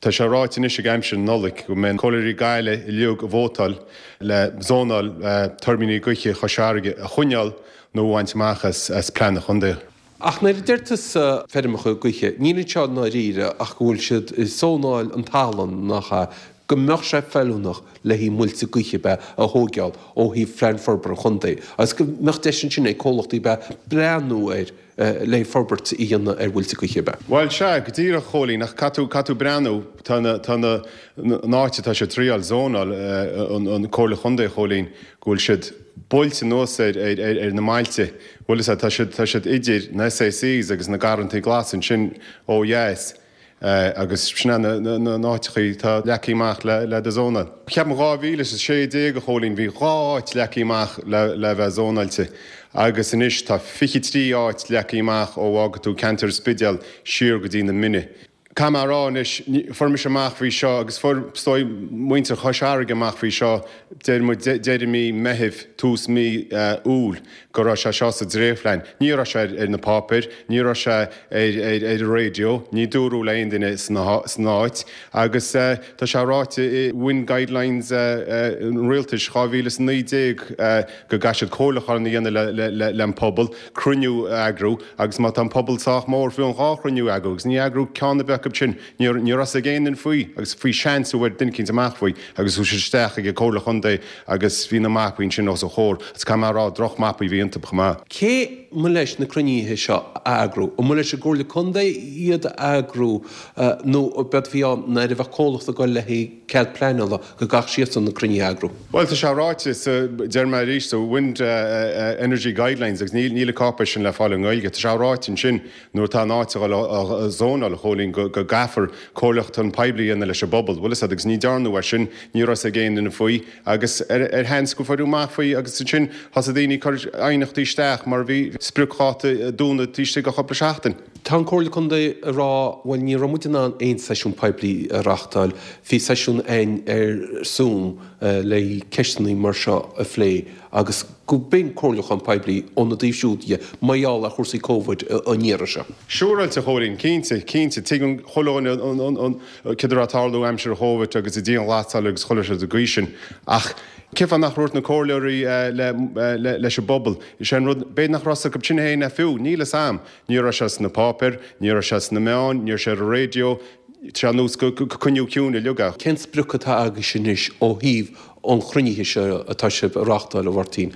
tá sé ráite anois ag aimsir na Nollag go mbeidh comhairleoirí Gaillimhe uilig ag vótáil le zónáil tuirbíní gaoithe Chois Fharraige a choinneáil nó a bhaint amach as plean an chontae. Ach nuair a deir tusa feirmeacha gaoithe, níl anseo i ndáiríre ach go bhfuil siad ag zónáil an talamh, nach ea, go mbeadh sé feiliúnach le haghaidh muilte gaoithe ab ea a thóigeáil ó thaobh phlean forbartha an chontae agus go mbeadh deis ansin ag comhlachtaí ab ea breathnú air le haghaidh forbairt a dhéanamh ar mhuilte gaoithe ab ea. Bhuel, sea, go díreach, a Chóilín, ach caithfidh tú, caithfidh tú breathnú, tá na, tá na, an áit atá siad ag triáil zónáil, an, an Comhairle Chontae, a Chóilín, go bhfuil siad buailte anuas ar ar na mbailte. Bhfuil fhios agat, tá siad, tá siad idir na SACs agus na Garrantaí Glasa ansin ó dheas agus sin é na, na, na áiteachaí atá leagtha amach le, le do zónáil. Ceapaim dhá mhíle is a sé déag, a Chóilín, bhí dhá áit leagtha amach le, le bheith zónáilte agus anois tá fiche trí áit leagtha amach ó fhágfaidh tú ceantar an Spidéil siar go dtí na Mine. Caithfidh mé a rá anois, fuair mise amach faoi seo agus fuair, is dóigh, muintir Chois Fharraige amach faoi seo, deir muid, deireadh mí Meithimh, tús mí Iúil, go raibh sé seo sa dréachtphlean. Ní raibh sé ar na páipéir, ní raibh sé ar ar an raidió, ní dúradh le aon duine san áit agus tá sé ráite i Wind Guidelines an Rialtais dhá mhíle is a naoi déag go gcaithfidh siad comhairliúchán a dhéanamh le an pobal, cruinniú a eagrú agus má tá an pobal sách mór fiú amháin dhá chruinniú a eagrú agus ní eagrú ceann ar bith acu sin, ní raibh a fhios ag aon duine faoi agus faoi seans a bhfuair duine eicínt amach faoi agus chuaigh siad isteach ag an Comhairle Chontae agus bhí na mapaí ansin os a chomhair agus caithfidh mé a rá droch mapaí a bhí iontu chomh maith. Cé mba leis na cruinnithe seo a eagrú? An mba leis an gComhairle Contae iad a eagrú nó b'éard a bhí ann nuair a bheadh comhlacht ag dul le haghaidh cead pleanála go gcaithfeadh siadsan na cruinnithe a eagrú? Bhuel, tá sé ráite sa, deir mé arís, sa Wind Energy Guidelines agus níl níl an cáipéis sin le fáil i nGaeilge, tá sé ráite ansin nuair atá an áit a dhul á zónáil, a Chóilín, go go gcaithfear comhairliúchán poiblí a dhéanamh leis an bpobal. Bhfuil fhios agat, agus ní dearnadh é sin, ní raibh fhios ag aon duine faoi agus ar ar sheans go fuaireadh amach faoi agus ansin thosaigh daoine ag cur aighneachtaí isteach mar bhí spriocdháta dúnadh taobh istigh de chúpla seachtain. Tá an Comhairle Contae ag rá, bhuel ní raibh muid in ann aon seisiún poiblí a reáchtáil, bhí seisiún againn ar Zoom le ceisteanna mar seo a phlé agus go b'in comhairliúchán poiblí óna dtaobh siúd dhe mar gheall ar chúrsaí Covid an iarraidh seo. Siúráilte, a Chóilín, cinnte, cinnte, tuigeann chuile dhuine an, an, céard a raibh ag tarlú aimsir an Chóvid agus an dianghlasáil agus chuile shórt den gcaoi sin ach cén fáth nach ndúirt na comhairleoirí leis an bpobal? Is é an rud, b'fhéidir nach raibh fhios acu sin féin é fiú, níl fhios a'm. Ní raibh sé sna páipéir, ní raibh sé sna meáin, ní raibh sé ar an raidió, tá sé ar nós gur coinníodh ciúin uilig é. Cén sprioc atá agaibhse anois ó thaobh an chruinnithe seo atá sibh a reáchtáil, a Mháirtín,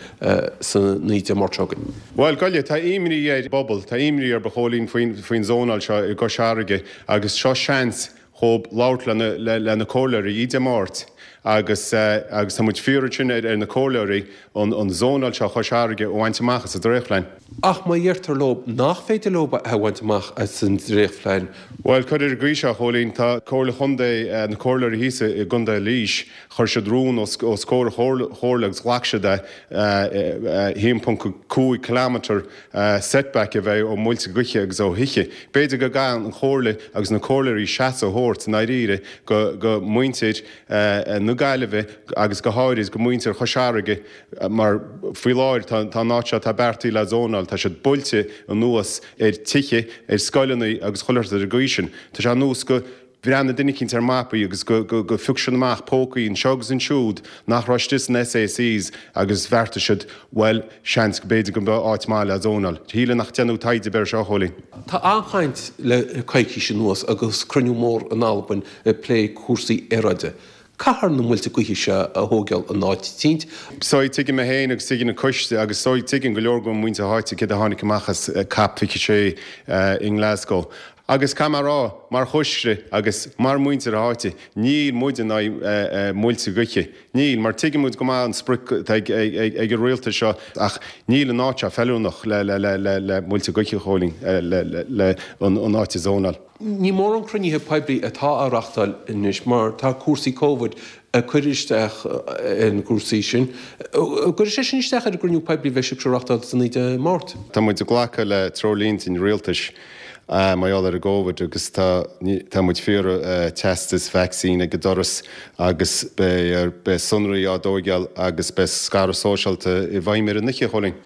san naoi Dé Máirt seo chugainn? Bhuel, goile, tá imní ar an bpobal, tá imní ar a Chóilín faoin zónáil seo i gCois Fharraige agus seo seans dhóibh labhairt le na comhairleoirí Dé Máirt agus agus tá muid ag iarraidh ansin ar na comhairleoirí an an zónáil seo Chois Fharraige a bhaint amach as an dréachtphlean. Ach má dheirtear leo nach féidir leo é a bhaint amach as an dréachtphlean. Bhuel, cuir ar an gcaoi seo, a Chóilín, tá Comhairle Chontae, na comhairleoirí thíos i gContae Laois, chuir siad rún os os comhair an chomhairle agus ghlac siad é, a haon ponc cúig kilometre setback a bheith ó mhuilte gaoithe agus ó thithe. B'fhéidir go gcaithfidh an Chomhairle agus na comhairleoirí seasamh a thabhairt i ndáiríre go go muintir na Gaillimhe agus go háirid go muintir Chois Fharraige mar faoi láthair tá tá an áit seo atá beartaithe le zónáil, tá siad buailte anuas ar tithe, ar scoileanna agus chuile shórt ar an gcaoi sin. Tá sé ar nós go bhreathnaigh duine eicínt ar mapaí agus go phioc siad amach pócaí anseo agus ansiúd nach raibh istigh sna SACs agus bheartaigh siad, bhuel, seans go b'fhéidir go mbeadh áit maith le zónáil. Shílfeá nach ndéanadh taighde ar bith air seo, a Chóilín. Tá an-chaint le coicís anuas agus cruinniú mór in Albain ag plé cúrsaí aeráide. Caithfear na muilte gaoithe seo a thóigeáil in áit eicínt. So tuigim mé féin agus tuigeann an coiste agus so tuigeann go leor de mhuintir na háite céard a tháinig amach as Cop fiche sé i nGlasgow. Agus caithfidh mé a rá, mar choiste agus mar mhuintir na háite, níl muid in aghaidh muilte gaoithe. Níl, mar tuigeann muid go maith an sprioc atá ag an rialtas seo ach níl an áit seo feiliúnach le muilte gaoithe, a Chóilín, le an áit a zónáil. Ní mórán cruinnithe poiblí atá á reáchtáil anois mar tá cúrsaí Covid ag cur isteach ar na cúrsaí sin. An gcuirfidh sé sin isteach ar an gcruinniú poiblí a bheidh sibhse a reáchtáil san naoi Dé Máirt? Tá muid ag glacadh le treoirlínte an rialtais mar gheall ar an gCóvid agus tá tá muid ag iarraidh teastas vacsaín ag an doras agus beidh beidh sonraí á dtóigeáil agus beidh scaradh sóisialta i bhfeidhm ar an oíche, a Chóilín.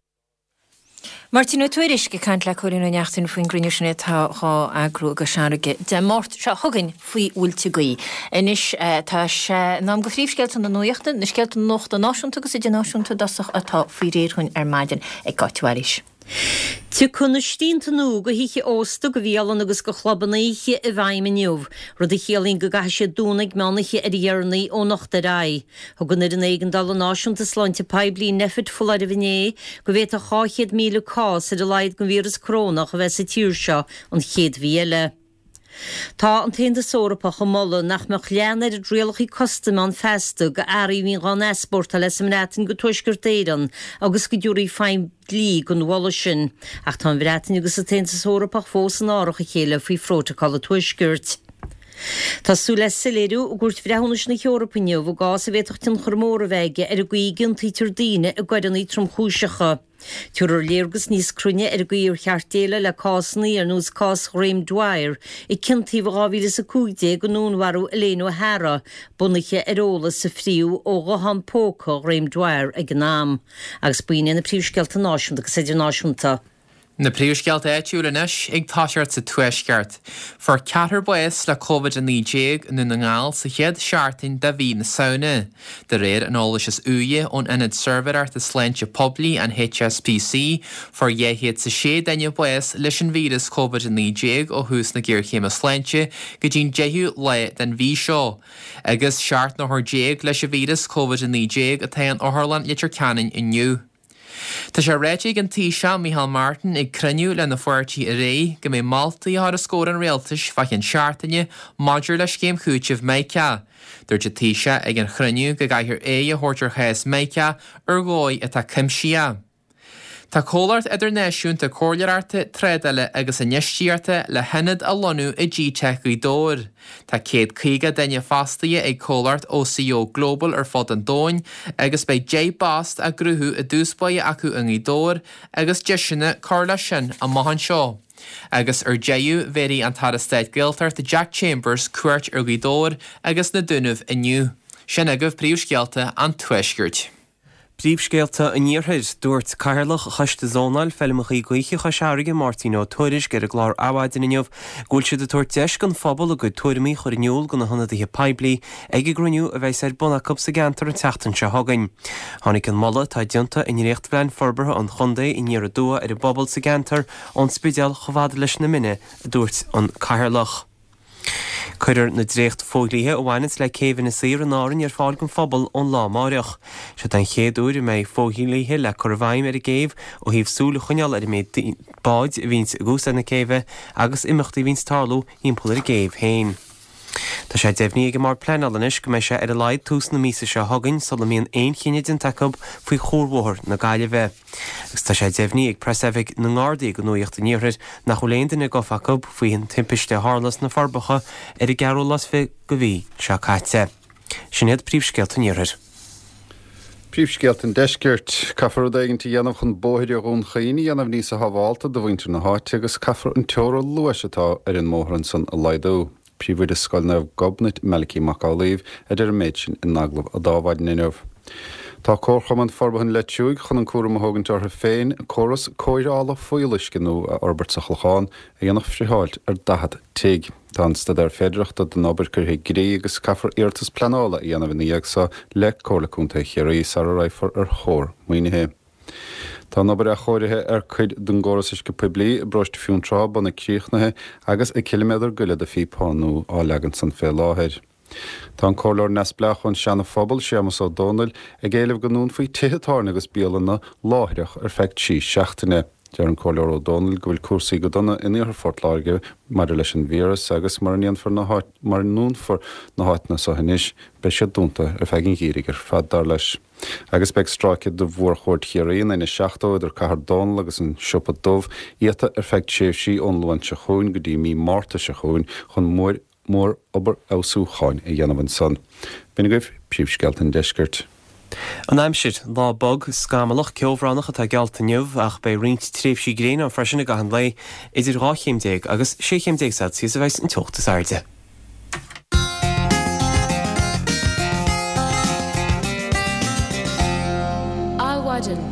Máirtín Ó Tuairisg ag caint le Cóilín Ó Neachtain faoin gcruinniú sin atá dhá eagrú i gCois Fharraige Dé Máirt seo chugainn faoi mhuilte gaoithe. Anois tá sé in am do phríomhscéalta na nuachta, na scéalta nuachta náisiúnta agus idirnáisiúnta i dtosach atá faoi réir dhúinn ar maidin ag Cáit Mhaoilís. Tiocfaidh na srianta nua do thithe ósta, do bhialanna agus do chlubanna oíche i bhfeidhm inniu, rud a chiallaíonn go gcaithfidh siad dúnadh ag meán oíche ar a dheireanaí ó anocht ar aghaidh. Thug an Fhoireann Éigeandála Náisiúnta Sláinte Poiblí, Nphet, foláireamh inné go bhféadfadh dhá chéad míle cás ar a laghad den víreas corónach a bheith sa tír seo an chéad mhí eile. Tá an tAontas Eorpach ag moladh nach mbeadh leath an oiread rialacha custaim ann feasta do earraí a bhíonn dhá n-easpórtáil as an mBreatain go Tuaisceart Éireann agus go dtabharfaí feidhm dlí don mholadh sin. Ach tá an Bhreatain agus an tAontas Eorpach fós in árach a chéile faoi Phrótacal an Tuaiscirt. Tá súil le soiléiriú i gCúirt Bhreithiúnais na hEorpa inniu i gcás a bhféadfadh tionchar mór a bheith aige ar an gcaoi a gciontaítear daoine i gcoireanna tromchúiseacha. Tabharfar léargas níos cruinne ar an gcaoi ar cheart déileáil le cásanna ar nós cás Ghraham Dwyer, a ciontaíodh in dhá mhíle is a cúig déag i ndúnmharú Elaine O'Hara, bunaithe ar eolas a fríodh ó ghuthán póca Ghraham Dwyer ag an am. Agus b'in iad na príomhscéalta náisiúnta agus idirnáisiúnta. Na príomhscéalta áitiúla anois ag toiseacht sa Tuaisceart. Fuair ceathrar bás le Covid a naoi déag i nDún na nGall sa chéad seachtain de mhí na Samhna. De réir an eolais is úire ón Ionad Suirbhéireachta Sláinte Poiblí, an HSPC, fuair dhá chéad is a sé duine bás leis an víreas Covid a naoi déag ó thús na géarchéime sláinte go dtí'n deichiú lá den mhí seo. Agus seacht n-othar déag leis an víreas Covid a naoi déag atá in Otharlann Leitir Ceanainn inniu. Tá sé ráite ag an Taoiseach Micheál Martin ag cruinniú lena pháirtí aréir go mbeidh moltaí á chur os comhair an rialtais fá cheann seachtaine maidir le scéim chúitimh Micah. Dúirt an Taoiseach ag an chruinniú go gcaithfear aghaidh a thabhairt ar chás Micah ar dhóigh atá cuimsitheach. Tá comhlacht idirnáisiúnta comhairleoireachta, trádála agus infheistíochta le hionad a lonnú i G-Tech Ghaoth Dobhair. Tá céad caoga duine fostaithe ag comhlacht OCO Global ar fud an domhain agus beidh deich bpost á gcruthú i dtús báire acu i nGaoth Dobhair agus deiseanna cur leis sin amach anseo. Agus ar deireadh bhéarfaidh an tAire Stáit Gaeltachta Jack Chambers cuairt ar Ghaoth Dobhair agus na Dúnaibh inniu. Sin agaibh príomhscéalta an Tuaiscirt. Príomhscéalta an Iarthair, Dúirt Cathaoirleach Choiste Zónáil Feilmeacha Gaoithe Chois Fharraige Máirtín Ó Tuairisg ar an gclár Adhmhaidin inniu go bhfuil siad ag tabhairt deis don phobal a gcuid tuairimí a chur in iúl do na hionadaithe poiblí ag an gcruinniú a bheas ar bun acu sa gceantar an tseachtain seo chugainn. Tháinig an moladh atá déanta i ndréachtphlean forbartha an chontae aniar aduaidh ar an bpobal sa gceantar ón Spidéal chomh fada leis na Mine, a dúirt an Cathaoirleach. Cuirfear na dréacht-fhodhlíthe a bhaineanns le céibh Inis Oírr in Árainn ar fáil don phobal ón lá amáireach. Seo den chéad uair a mbeidh fodhlíthe le cur i bhfeidhm ar an gcéibh ó thaobh súil a choinneáil ar an méid báid a bhíonns ag úsáid na céibhe agus imeachtaí a bhíonns ag tarlú thimpeall ar an gcéibh féin. Tá sé deimhnithe ag an mBord Pleanála anois go mbeidh sé ar a laghad tús na míosa seo chugainn sula mbíonn aon chinneadh déanta acu faoi Chuarbhóthar na Gaillimhe. Agus tá sé deimhnithe ag Preasoifig na nGardaí do Nuacht an Iarthair nach bhfuil aon duine gafa acu faoin timpiste a tharla sna Forbacha ar an gceathrú lá is fiche de mhí seo caite. Sin iad príomhscéalta an Iarthair. Príomhscéalta an Deiscirt. Caithfear rud éigin a dhéanamh chun bóithre Dhún Chaoin a dhéanamh níos sábháilte do mhuintir na háite agus caithfear an teora luais atá ar an mbóthar ansan a laghdú. Príomhoide Scoil Naomh Gobnait Malachy Mac Amhlaoibh a deir an méid sin in agallamh a d'Adhmhaidin inniu. Tá Comharchumann Forbartha an Leitriúigh chun an cúram a thógaint orthu féin córas cóireála fuíolluisce nua a fhorbairt sa Chlochán a dhéanfadh friotháilt ar daichead tigh. Tá an staidéar féidearthachta don obair curtha i gcrích agus caithfear iarratas pleanála a dhéanamh ina dhiaidh so le Comhairle Contae Chiarraí sara raghfar ar thóir maoinithe. Tá an obair athchóirithe ar cuid den gcóras uisce poiblí i bparóiste Fionntrá bunaidh críochnaithe agus ciliméadar go leith de phíopa nua á leagan ansan fé láthair. Tá an comhairleoir neamhspleách ón Seana Phobal, Séamus Ó Dónaill, ag éileamh go ndúnfaí tithe tábhairne agus bialanna láithreach ar feadh trí seachtaine. Deir an Comhairleoir Ó Dónaill go bhfuil cúrsaí go dona in iarthar Phort Láirge maidir leis an víreas agus mura ndéanfar na háit mura ndúnfar na háiteanna seo anois beidh siad dúnta ar feadh an gheimhridh ar fad, dar leis. Agus beidh stráice de Mhórchuaird Chiarraí, an N seachtó, idir Cathair Dónall agus an Siopa Dubh iata ar feadh tréimhsí ón Luan seo chugainn go dtí mí Márta seo chugainn chun mór mór-obair fheabhsúcháin a dhéanamh ansan. B'in agaibh príomhscéalta an deiscirt. An aimsir, Lá bog, scamallach, ceobhránach atá geallta inniu ach beidh roinnt tréimhsí gréine ann freisin i gcaitheamh an lae. Idir dhá chéim déag agus sé chéim déag Celsius a bheas an teocht is airde. Adhmhaidin.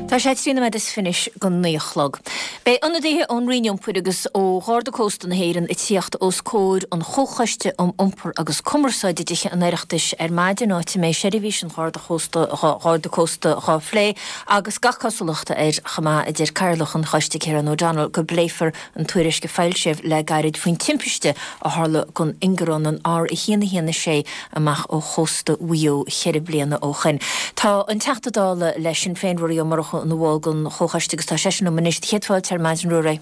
Tá sé trí nóiméad is fiche anois go naoi a chlog. Beidh ionadaithe ón Roinn Iompair agus ó Gharda Cósta na hÉireann ag tíocht os comhair an Chomhchoiste um Iompar agus Cumarsáid i dTithe an Oireachtais ar maidin, áit a mbeidh seirbhís an Gharda Chósta Gharda Cósta dhá phlé agus gach cosúlacht air chomh maith, a deir Cathaoirleach an Choiste Ciarán O'Donnell, go bpléifear an tuairisc a foilsíodh le gairid faoin timpiste a tharla don ingearán an R a haon a haon a sé amach ó chósta Mhaigh Eo ceithre bliana ó shoin. Tá an Teachta Dála le Sinn Féin, Ruairí Ó Murchú, ina bhall den Chomhchoiste agus tá seisean liom anois. Céad fáilte ar maidin, Ruairí.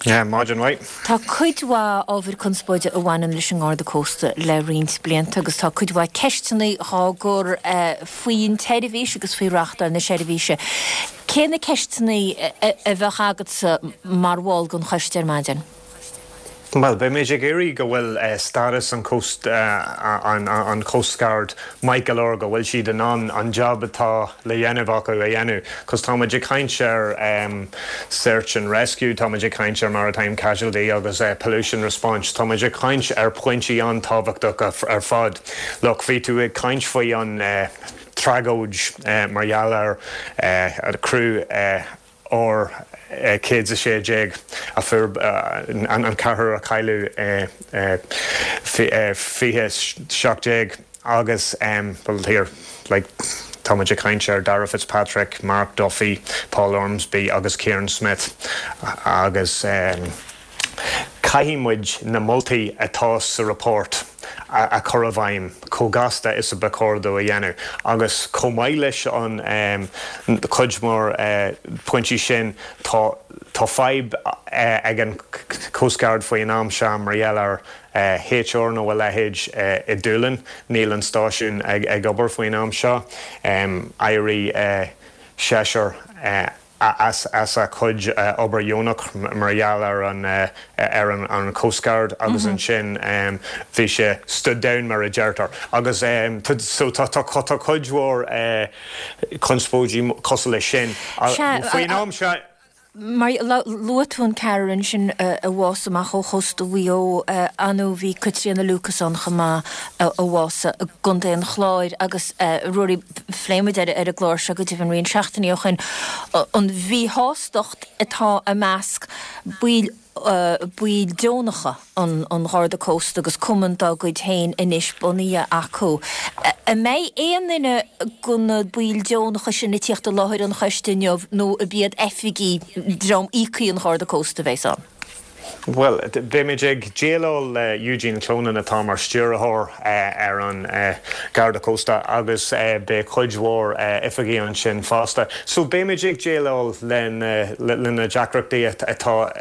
Yeah, maidin mhaith. Tá cuid mhaith ábhair conspóide a bhaineann leis an nGarda Cósta le roinnt blianta agus tá cuid mhaith ceisteanna dhá gcur faoin tseirbhís agus faoi reáchtáil na seirbhíse. Cé na ceisteanna a bheadh agatsa mar bhall den choiste ar maidin? Bhuel, beimid ag iarraidh go bhfuil stádas an Coast an Coast Guard maith go leor go bhfuil siad in ann an job atá le dhéanamh acu a dhéanamh. Cos táimid ag caint ar search and rescue, táimid ag caint ar maritime casualty agus pollution response, táimid ag caint ar pointí an-tábhachtach ar fad. Look, bhí tú ag caint faoi an tragóid mar gheall ar criú R céad is a sé déag a fuair an ceathrar a cailleadh i fiche seacht déag agus bhuel here like tá muid ag caint ar Dara Fitzpatrick, Mark Duffy, Paul Ormsby agus Kieran Smith agus caithfidh muid na moltaí atá sa report a chur i bhfeidhm chomh gasta is a ba chóir dó a dhéanamh agus chomh maith leis an chuid mór pointí sin tá tá fadhb ag an Coast Guard faoin am seo mar gheall ar HR nó a leithéid i Dúlainn, níl an stáisiún ag obair faoin am seo. D'éirigh seisear as as a chuid obair dheonach mar gheall ar an ar an Coast Guard agus ansin bhí sé stood down mar a deirtear agus so tá tá cuid mhór conspóidí cosúil leis sin faoin am seo. Mar luaigh tú an ceathrar ansin a bhásaigh amach ó chósta Mhaigh Eo, anú bhí Caitríona Lucas ann chomh maith a bhásaigh i gContae an Chláir agus Ruairí, phléigh muid ar an gclár seo go deimhin roinnt seachtainí ó shin an mhíshástacht atá i measc baill baill deonacha an Gharda Cósta agus cumann dá gcuid féin anois bunaithe acu. An mbeidh aon duine de na baill deonacha sin ag tíocht i láthair an choiste inniu nó ab iad oifigigh dream íoctha an Gharda Cósta a bheas ann? Bhuel, beimid ag déileáil le Eugene Clonan atá mar stiúrthóir ar an Garda Cósta agus beidh cuid mhór oifigigh ansin fosta. So beimid ag déileáil le na deacrachtaí atá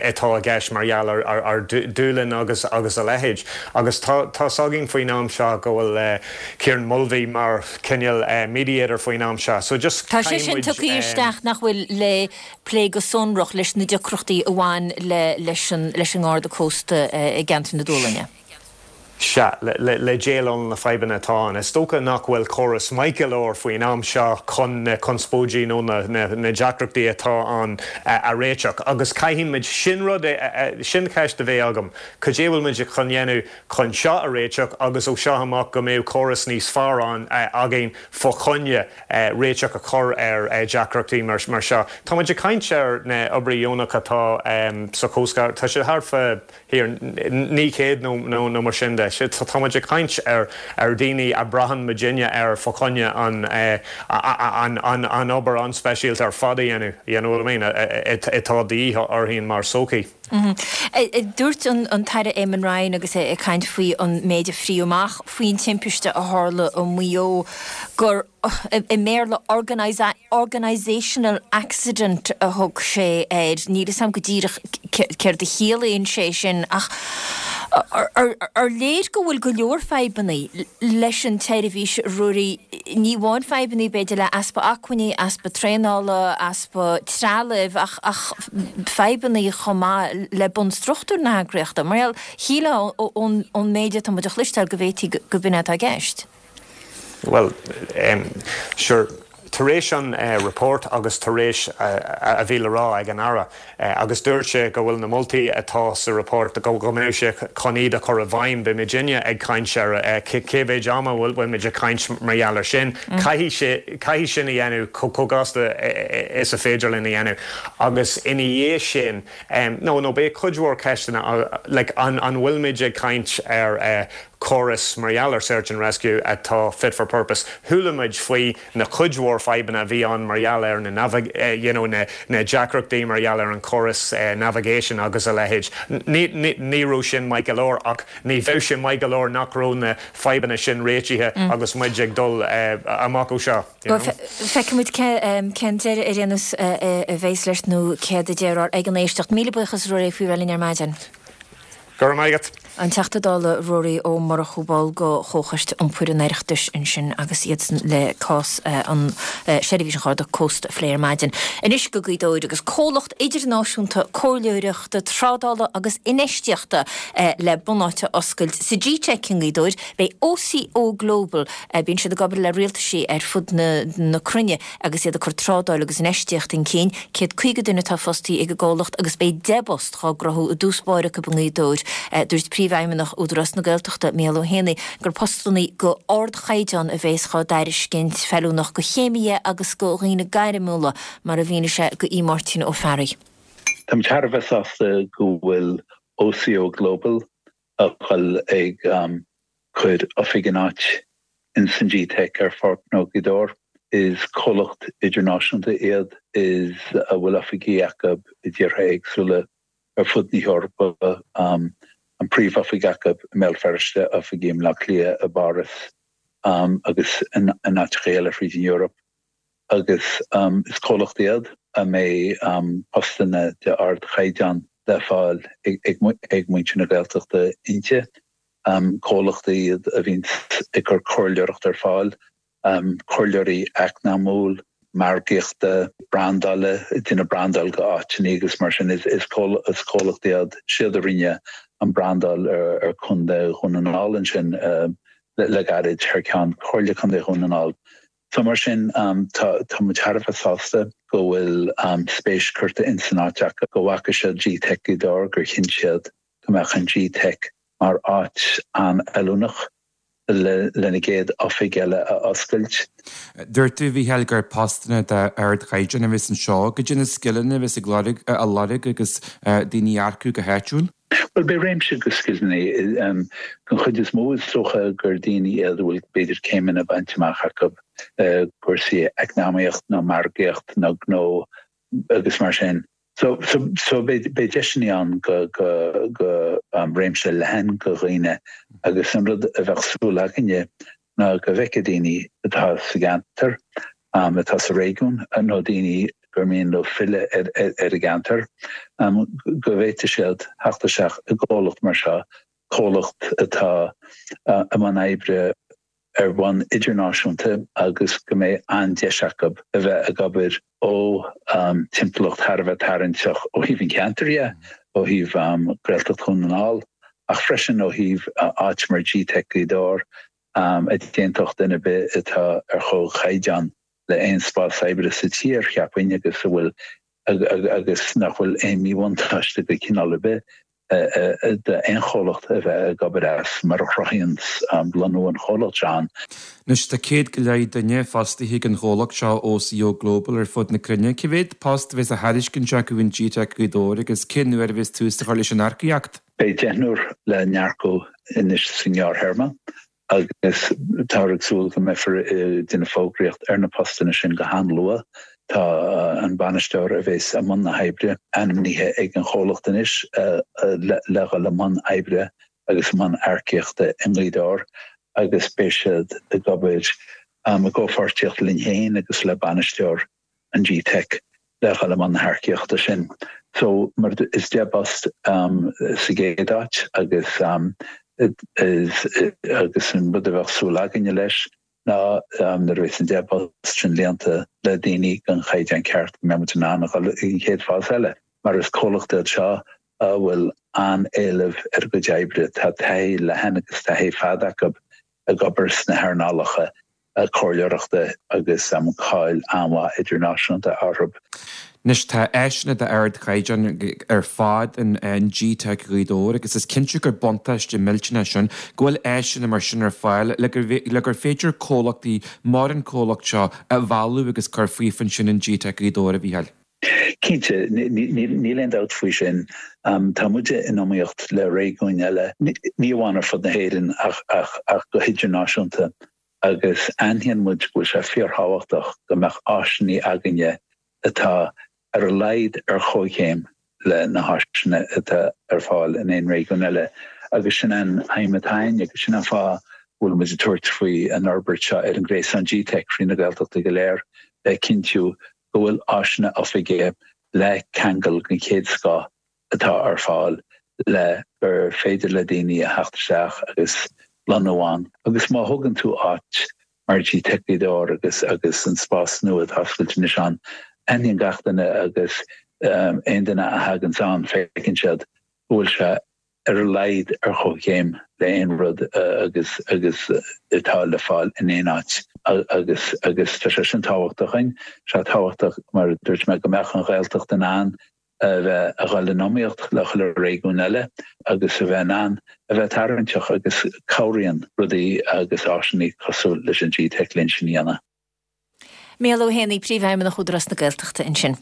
atá i gceist mar gheall ar Dúlainn agus agus a leithéid. Agus tá's againn faoin am seo go bhfuil Kieran Mulvey mar cineál mediator faoin am seo. So just Tá sé sin tugtha isteach nach bhfuil le plé go sonrach leis na deacrachtaí a bhain le leis an leis an nGarda Cósta i gceantar na Dúlainne. Sea, le le déileáil na fadhbanna atá ann. Is dócha nach bhfuil córas maith go leor faoin am seo chun na conspóidí nó na na deacrachtaí atá ann a réiteach. Agus caithfimid, sin rud, sin ceist a bheidh agam, cad é bhfuil muid chun dhéanamh chun seo a réiteach agus ó seo amach go mbeidh córas níos fearr ann againn fá choinne réiteach a chur ar deacrachtaí mar seo. Tá muid ag caint ar na oibrithe deonacha atá sa Coast Guard, tá siad thart fá naoi chéad nó mar sin de. Tá muid ag caint ar ar daoine a braitheann muidinne ar fá choinne an an obair an-speisialta ar fad a dhéanamh, you know what I mean, atá de dhíth orainn mar sochaí. Dúirt an tAire Eamon Ryan agus é ag caint faoi an méid a fríodh amach faoin timpiste a tharla i Maigh Eo gur, i mBéarla, organisational accident a thug sé air. Níl fhios a'm go díreach céard a chiallaíonn sé sin ach ar léir go bhfuil go leor fadhbanna leis an tseirbhís, Ruairí, ní amháin fadhbanna b'fhéidir le easpa acmhainní, easpa traenála, easpa trealaimh ach ach fadhbanna chomh maith le bunstruchtúr na heagraíochta. Mar gheall, shílfeá ón méid atá muid a chloisteáil go bhféadfaí go b'in é atá i gceist. Bhuel, sure, tar éis an report agus tar éis a bhí le rá ag an Aire, agus dúirt sé go bhfuil na moltaí atá sa report, go mbeidh sé chun iad a chur i bhfeidhm, beidh muidinne ag caint ar cé mhéid ama bhfuil muid ag caint mar gheall air sin. Caithfidh sé, caithfidh sin a dhéanamh chomh gasta is a féidir linn a dhéanamh. Agus ina dhiaidh sin, no, no, beidh cuid mhór ceisteanna, like an bhfuil muid ag caint ar córas mar gheall ar Search and Rescue atá fit for purpose. Chuala muid faoi na cuid mhór fadhbanna a bhí ann mar gheall ar na you know na na deacrachtaí mar gheall ar an córas navigation agus a leithéid. Ní ní ní raibh sin maith go leor ach ní bheadh sé maith go leor nach raibh na fadhbanna sin réitithe agus muid ag dul amach ó seo. You know? Feicfimid cén deireadh ar aon nós a bheas leis nó céard a déarfar ag an éisteacht. Míle buíochas Ruairí faoi bheith linn ar maidin. Go raibh maith agat. An Teachta Dála Ruairí Ó Murchú ball de Chomhchoiste Iompair an Oireachtais ansin agus iadsan le cás an seirbhís an Gharda Cósta a phlé ar maidin. Anois go Gaoth Dobhair agus comhlacht idirnáisiúnta comhairleoireachta, trádála agus infheistíochta le bunáite a oscailt sa G-Teic i nGaoth Dobhair. Beidh OCO Global, bíonn siad ag obair le rialtaisí ar fud na cruinne agus iad ag cur trádáil agus infheistíocht chun cinn. Céad caoga duine atá fostaí ag an gcomhlacht agus beidh deich bpost dhá gcruthú i dtús báire acu i nGaoth Dobhair. Dúirt Príomhfheidhmeannach Údarás na Gaeltachta, Mícheál Ó hÉanaí, gur postanna go ardchaighdeán a bhéas dhá dtairiscint, feiliúnach go chéimithe agus go dhaoine gairmiúla, mar a mhínigh sé go aoi Máirtín Ó Fearraigh. Táim thar a bheith sásta go bhfuil OCO Global a dhul ag cur oifig in áit ins an G-Teic ar Pháirc Ghnó Ghaoth Dobhair. Is comhlacht idirnáisiúnta iad is a bhfuil oifigí acu i dtíortha éagsúla ar fud na hEorpa, an príomhoifig acu i mBéal Feirste, oifigí i mBleá Cliath, i bPáras agus in áiteacha eile fríd an Eoraip agus is comhlacht iad a mbeidh postanna de ardchaighdeán le fáil ag muintir na Gaeltachta inti. Comhlachtaí iad a bhíonn ag cur comhairleoireacht ar fáil, comhairleoirí eacnamúil, margaíochta, brandála, déanamh brandáil go áiteanna agus mar sin. Is comhlacht iad siad a rinne an brandáil ar Chontae Dhún na nGall ansin le gairid thar ceann Chomhairle Contae Dhún na nGall. So mar sin tá tá muid thar a bheith sásta go bhfuil spéis curtha in san áit acu, go bhfaca siad G-Teic Ghaoth Dobhair, gur chinn siad go mbeadh an G-Teic mar áit an-fheiliúnach lena gcéad oifig eile a oscailt. Dúirt tú, a Mhícheáil, gur postanna d'ardchaighdeán a bheas anseo. Goidé na scileanna a bheas ag lorg, á lorg agus daoine a earcú go háitiúil? Bhuel, beidh réimse de scileanna. Den chuid is mó is dócha gur daoine iad a bhfuil b'fhéidir céimeanna bainte amach acu i gcúrsaí eacnamaíocht nó margaíocht nó gnó agus mar sin. So so beidh deiseanna ann go go go réimse leathan de dhaoine agus an rud a bheadh súil againne ná go bhfeicfidh daoine atá sa gceantar, atá sa réigiún nó daoine gur mian leo filleadh ar ar an gceantar, go bhféadfaidh siad theacht isteach i gcomhlacht mar seo, comhlacht atá i mbun oibre ar bhonn idirnáisiúnta agus go mbeidh an-deis acu a bheith ag obair ó timpeallacht thar a bheith tarraingteach ó thaobh an cheantair dhe, ó thaobh Gaeltacht Dhún na nGall ach freisin ó thaobh áit mar G-Teic Gaoth Dobhair a d'aontódh duine ar bith atá ar chomhchaighdeán le aon spás oibre sa tír, cheapfainn, agus a bhfuil agus nach bhfuil aon mhíbhuntáiste de chineál ar bith d'aon chomhlacht a bheith ag obair as, mar a chruthaíonn lonnú an chomhlacht seo ann. Anois tá céad go leith duine fostaithe ag an chomhlacht seo OCO Global ar fud na cruinne. Cé mhéad post a bheas á thairiscint acu in G-Teic Ghaoth Dobhair agus cén uair a bheas tús á chur leis an earcaíocht? Beidh deichniúr le n-earcú anois sa ngearrthéarma. agus táthar ag súil go mbeifear ag déanamh fógraíocht ar na postanna sin go han-luath. Tá an bainisteoir a bheas i mbun na hoibre ainmnithe ag an chomhlacht anois le dhul i mbun oibre agus i mbun earcaíochta i nGaoth Dobhair agus beidh siad ag obair i gcomhpháirtíocht linn féin agus le bainisteoir an G-Teic le dhul i mbun na hearcaíochta sin. So mar is deich bpost sa gcéad áit agus is agus an rud a bheadh súil againne leis ná nuair a bheas an deich bpost sin líonta le daoine den chaighdeán ceart go mbeidh muid in ann a dhul ag an chéad fás eile mar is comhlacht iad seo a bhfuil an-éileamh ar a gcuid oibre. Tá taithí leathan agus taithí fada acu ag obair sna hearnálacha comhairleoireachta agus cáil an-mhaith idirnáisiúnta orthu. Anois tá áiseanna d'ardchaighdeán ar fad in G-Teic Ghaoth Dobhair agus is cinnte gur buntáiste millteanach sin go bhfuil áiseanna mar sin ar fáil le gur féidir comhlachtaí mar an comhlacht seo a mhealladh agus cur faofa ansin in G-Teic Ghaoth Dobhair, a Mhícheáil. Cinnte, níl aon dabht faoi sin. Tá muide in iomaíocht le réigiúin eile, ní amháin ar fud na hÉireann ach go hidirnáisiúnta. agus aithníonn muid go bhfuil sé fíorthábhachtach go mbeadh áiseanna againne atá ar a laghad ar chomhchéim le na háiseanna atá ar fáil in aon réigiún eile agus sin an aidhm atá againn agus sin an fáth go bhfuil muid ag tabhairt faoi an fhorbairt seo ar an ghréasán G-Teic fríd na Gaeltachta go léir le cinntiú go bhfuil áiseanna oifige le ceangal den chéad scoth atá ar fáil le gur féidir le daoine a theacht isteach agus lonnú ann. Agus má thugann tú áit mar G-Teic Ghaoth Dobhair agus agus an spás nua atá oscailte anois ann, aithníonn gach duine agus aon duine a thaganns ann feiceann siad go bhfuil sé ar a laghad ar chomhchéim le aon rud agus agus atá le fáil in aon áit agus agus tá sé sin tábhachtach dúinn. Sé tábhachtach mar a dúirt mé go mbeadh an Ghaeltacht in ann a bheith a dhul in iomaíocht le chuile réigiún eile agus a bheith in ann a bheith tarraingteach agus cabhraíonn rudaí agus áiseanna cosúil leis an G-Teic linn sin a dhéanamh. Mícheál Ó hÉanaí, Príomhfheidhmeannach Údarás na Gaeltachta ansin.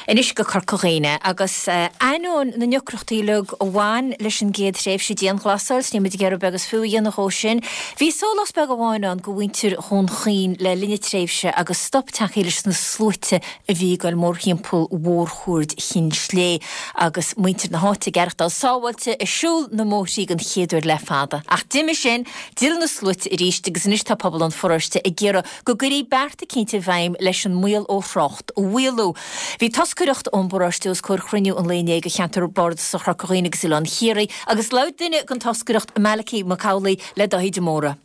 Anois go Corca Dhuibhne agus ainneoin na ndeacrachtaí uilig a bhain leis an gcéad thréimhse dianghlasáil, 's níl muid ag iarraidh beag is fiú a dhéanamh dhó sin, bhí sólás beag amháin ann go mhuintir Dhún Chaoin le linn na tréimhse agus stop tagtha leis na sluaite a bhí ag goil mórthimpeall mhórchuaird Chinn Slé agus muintir na háite ag aireachtáil sábháilte ag siúl na mbóithrí den chéad uair le fada. Ach d'imigh sin, d'fhill na sluaite arís agus anois tá pobal an pharóiste ag iarraidh go gcuirfí beart eicínt i bhfeidhm leis an mbaol ó thrácht a mhaolú. Bhí toscaireacht ón bparóiste os comhair chruinniú an lae inné de Cheantar Bardasach Chorca Dhuibhne agus Oileán Chiarraí agus labhair duine den toscaireacht, Malachy Mac Amhlaigh, le Dáithí de Mórdha.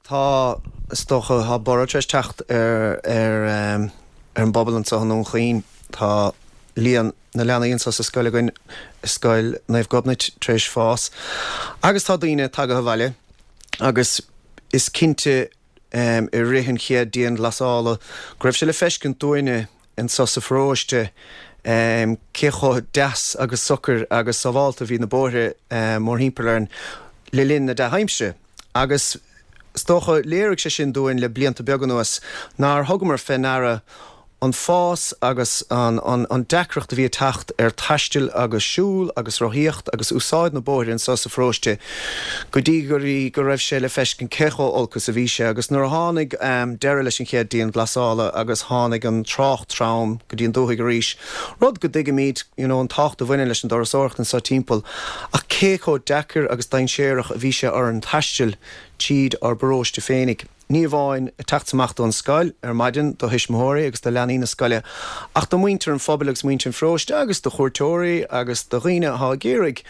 Tá, is dócha, tá borradh tar éis teacht ar ar ar an bpobal anseo i nDún Chaoin. Tá líon na leanaí anseo sa scoil againn, i Scoil Naomh Gobnait, tar éis fás agus tá daoine tagaithe abhaile agus is cinnte i rith an chéad dianghlasála go raibh sé le feiscint dúinne anso sa pharóiste cé chomh deas agus socair agus sábhálta a bhí na bóithre mórthimpeall orainn le linn na dea-aimsire. Agus is dócha léirigh sé sin dúinn le blianta beaga anuas nár thugamar fé ndeara an fás agus an deacracht a bhí ag teacht ar taisteal agus siúl agus rothaíocht agus úsáid na bóithre anso sa pharóiste go dtí go go raibh sé le feiscint cé chomh olc is a bhí sé agus nuair a tháinig deireadh leis an chéad dianghlasála agus tháinig an trácht trom go dtí an dúthaigh arís, rud go dtuigimid you know an tábhacht a bhaineann leis an dturasóireacht anso timpeall ach cé chomh deacair agus dainséarach a bhí sé orainn taisteal tríd ár bparóiste féinig. Ní amháin ag teacht amach don scoil ar maidin do thuismitheoirí agus do leanaí na scoile, ach do mhuintir an phobail agus muintir an pharóiste agus do chuairteoirí agus do dhaoine atá ag iarraidh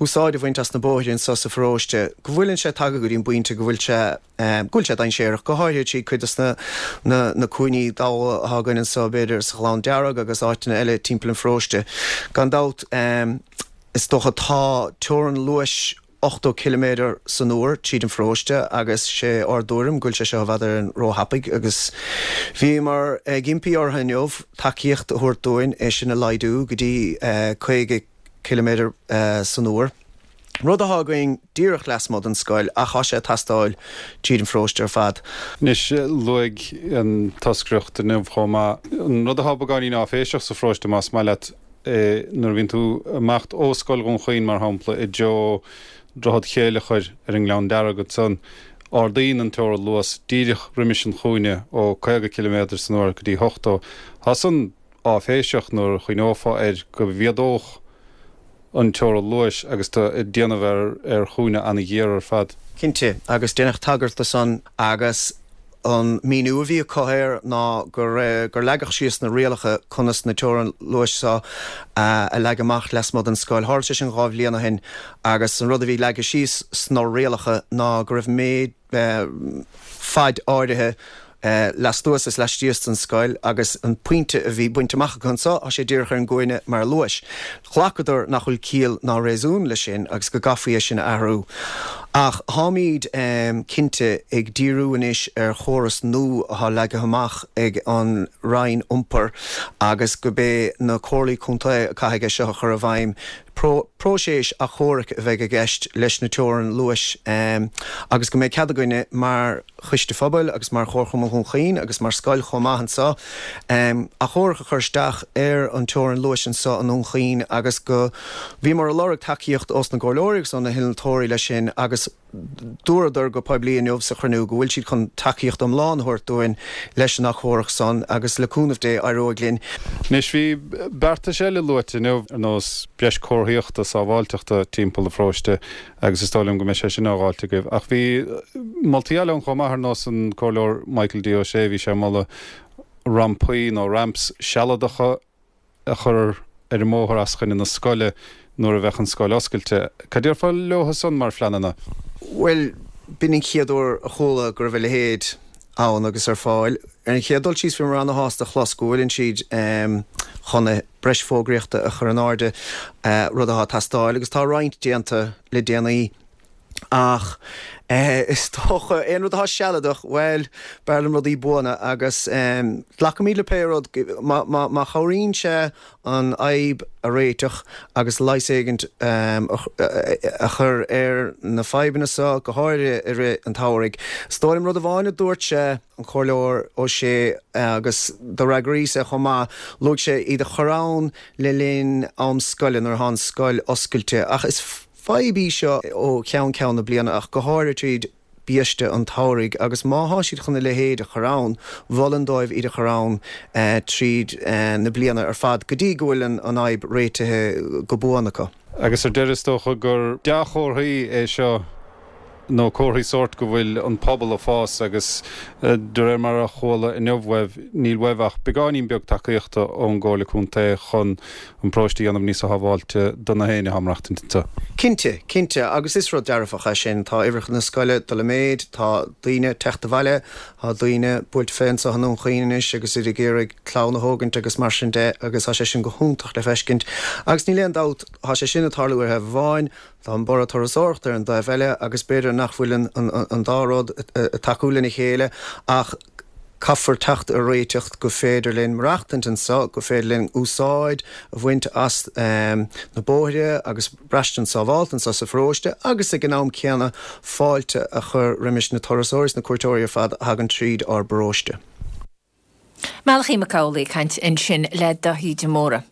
úsáid a bhaint as na bóithre anso sa pharóiste, go bhfuileann sé tagtha go dtí an bpointe go bhfuil sé go bhfuil sé dainséarach, go háirithe trí cuid de na na cúinní damha atá againn anso, b'fhéidir sa Ghleann Dearg agus áiteanna eile timpeall an pharóiste. Gan dabht, is dócha tá teorainn luais ochtó ciliméadar san uair tríd an pharóiste agus sé ár dtuairim go bhfuil sé seo i bhfad Éireann róthapaidh agus bhíomar ag impí orthu inniu tacaíocht a thabhairt dúinn é sin a laghdú go dtí caoga ciliméadar san uair, rud atá againn díreach lasmuigh den scoil ach tá sé ag teastáil tríd an pharóiste ar fad. Anois, luaigh an toscaireacht inniu chomh maith an rud atá beagáinín áiféiseach sa pharóiste más maith leat, Nuair a bhíonn tú ag imeacht ó Scoil Dhún Chaoin, mar shampla, i dtreo Droichead Chéileachair ar an nGleann Dearg ansan, ardaíonn an teorainn luas díreach roimis an chúinne ó caoga ciliméadar san uair go dtí ochtó. Tá san áiféiseach nuair a chuimhneofá air go mhéadódh an teorainn luais agus tú ag déanamh ar chúinne ana-ghéar ar fad. Cinnte, agus deineadh tagairt do san agus An míniú a bhí acu air ná gur gur leagadh síos na rialacha conas na teorainn luais seo a leagadh amach lasmuigh den scoil. Tharla sé sin dhá bhliain ó shin agus an rud a bhí leagtha síos sna rialacha ná go raibh méid faid áirithe lastuas is laistíos den scoil agus an pointe a bhí bainte amach acu anseo, tá sé díreach ar an gcúinne mar luas. Ghlacadar nach bhfuil ciall ná réasún leis sin agus go gcaithfí é sin a athrú. Ach táimid cinnte ag díriú anois ar chóras nua atá leagtha amach ag an Roinn Iompair agus gurb é na Comhairlí Contae a caithfidh é seo a chur i bhfeidhm. Próiseas achomhairc a bheidh i gceist leis na teorainn luais agus go mbeidh cead againne mar Choiste Phobail agus mar Chomharchumann Dhún Chaoin agus mar scoil chomh maith anseo achomharc a chur isteach ar an teorainn luais anseo i nDún Chaoin agus go bhíomar ag lorg tacaíocht ós na gcomhairleoirí agus ó na hinnealtóirí leis sin agus dúradar go poiblí inniu sa chruinniú go bhfuil siad chun tacaíocht iomlán a thabhairt dúinn leis an achomharc san agus le cúnamh Dé éireoidh linn. Anois bhí beartais eile luaite inniu ar nós breis comharthaíochta sábháilteachta timpeall an pharóiste agus is dóigh liom go mbeidh sé sin á dháilt agaibh. Ach bhí moltaí eile ann chomh maith ar nós an Comhairleoir Michael D. Ó Sé, bhí sé ag moladh rampaí nó ramps sealadacha a chur ar an mbóthar os coinne na scoile nuair a bheadh an scoil oscailte. Cad déarfá leo san mar phleananna? Bhuel, b'in an chéad uair a chuala go raibh a leithéid ann agus ar fáil. Ar an chéad dul síos bhíomar ana-shásta a chlos go bhfuileann siad chun breis fógraíochta a chur in airde, rud atá ag teastáil agus tá roinnt déanta le déanaí. Ach is dócha, aon rud atá sealadach, bhuel, b'fhearr liom rudaí buana agus glacfaimid le pé rud, má chabhraíonn sé an fhadhb a réiteach agus leigheas éigint a chur ar na fadhbanna seo, go háirithe i rith an tsamhraidh. Is dóigh liom rud amháin a dúirt sé, an Comhairleoir Ó Sé, agus do fhreagraíos é chomh maith, luaigh sé iad a chur ann le linn am scoile, nuair atá an scoil oscailte, ach is. Fadhb í seo ó cheann ceann na bliana ach go háirithe tríd biaiste an tsamhraidh agus má thá siad chun a leithéid a chur ann, mholfainn dóibh iad a chur ann tríd na bliana ar fad go dtí go bhfuil an fhadhb réitithe go buan acu. Agus ar deireadh is dócha gur dea-chomharthaí é seo nó comharthaí sóirt go bhfuil an pobal ag fás agus de réir mar a chuala inniu uaibh, níl uaibh ach beagáinín beag tacaíochta ón gComhairle Contae chun an paróiste a dhéanamh níos sábháilte do na héinne atá ag maireachtaint anseo. Cinnte, cinnte, agus is rud dearfach é sin. Tá uimhreacha na scoile ag dul i méid, tá daoine ag teacht abhaile, tá daoine buailte fé anseo i nDún Chaoin anois agus iad ag iarraidh clann a thógaint agus mar sin de agus tá sé sin go hiontach le feiscint. Agus níl aon dabht, tá sé sin ag tarlú ar thaobh amháin, Tá an borradh turasóireachta ar an dtaobh eile agus b'fhéidir nach bhfuil an dá rud ag tacú lena chéile ach caithfear teacht ar réiteach go féidir linn maireachtaint anseo, go féidir linn úsáid a bhaint as na bóithre agus braistint sábhálta anseo sa pharóiste agus ag an am céanna fáilte a chur roimis na turasóirí is na cuairteoirí ar fad a thagann tríd ár bparóiste. Malachy Mac Amhlaigh ag caint ansin le Daithí de Mórdha.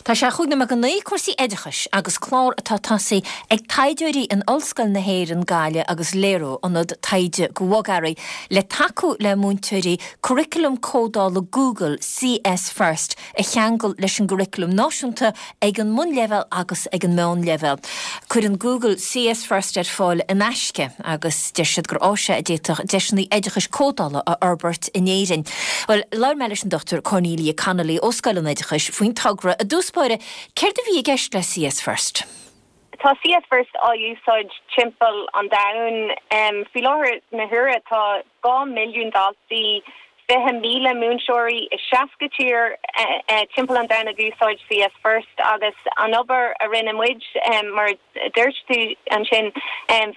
Tá sé chúig nóiméad go naoi, cúrsaí oideachais agus clár atá tosaithe ag taighdeoirí in Ollscoil na hÉireann, Gaillimh agus Lero, ionad taighde go bhogearraí le tacú le múinteoirí curriculum códála Google CS First a cheangal leis an gcurriculum náisiúnta ag an mbunleibhéal agus ag an meánleibhéal. Cuireann Google CS First ar fáil in aisce agus deir siad gur áis é a d'fhéadfadh deiseanna oideachais códála a fhorbairt in Éirinn. Bhuel, labhair mé leis an Dochtúir Cornelia Connolly ó Scoil an Oideachais faoin togra. I dtús báire, céard a bhí i gceist le CS First? Tá CS First á úsáid timpeall an domhain. Faoi láthair na huaire tá dhá milliún daltaí, fiche míle múinteoirí i seasca tír timpeall an domhain ag úsáid CS First agus an obair a rinne muid, mar a dúirt tú ansin,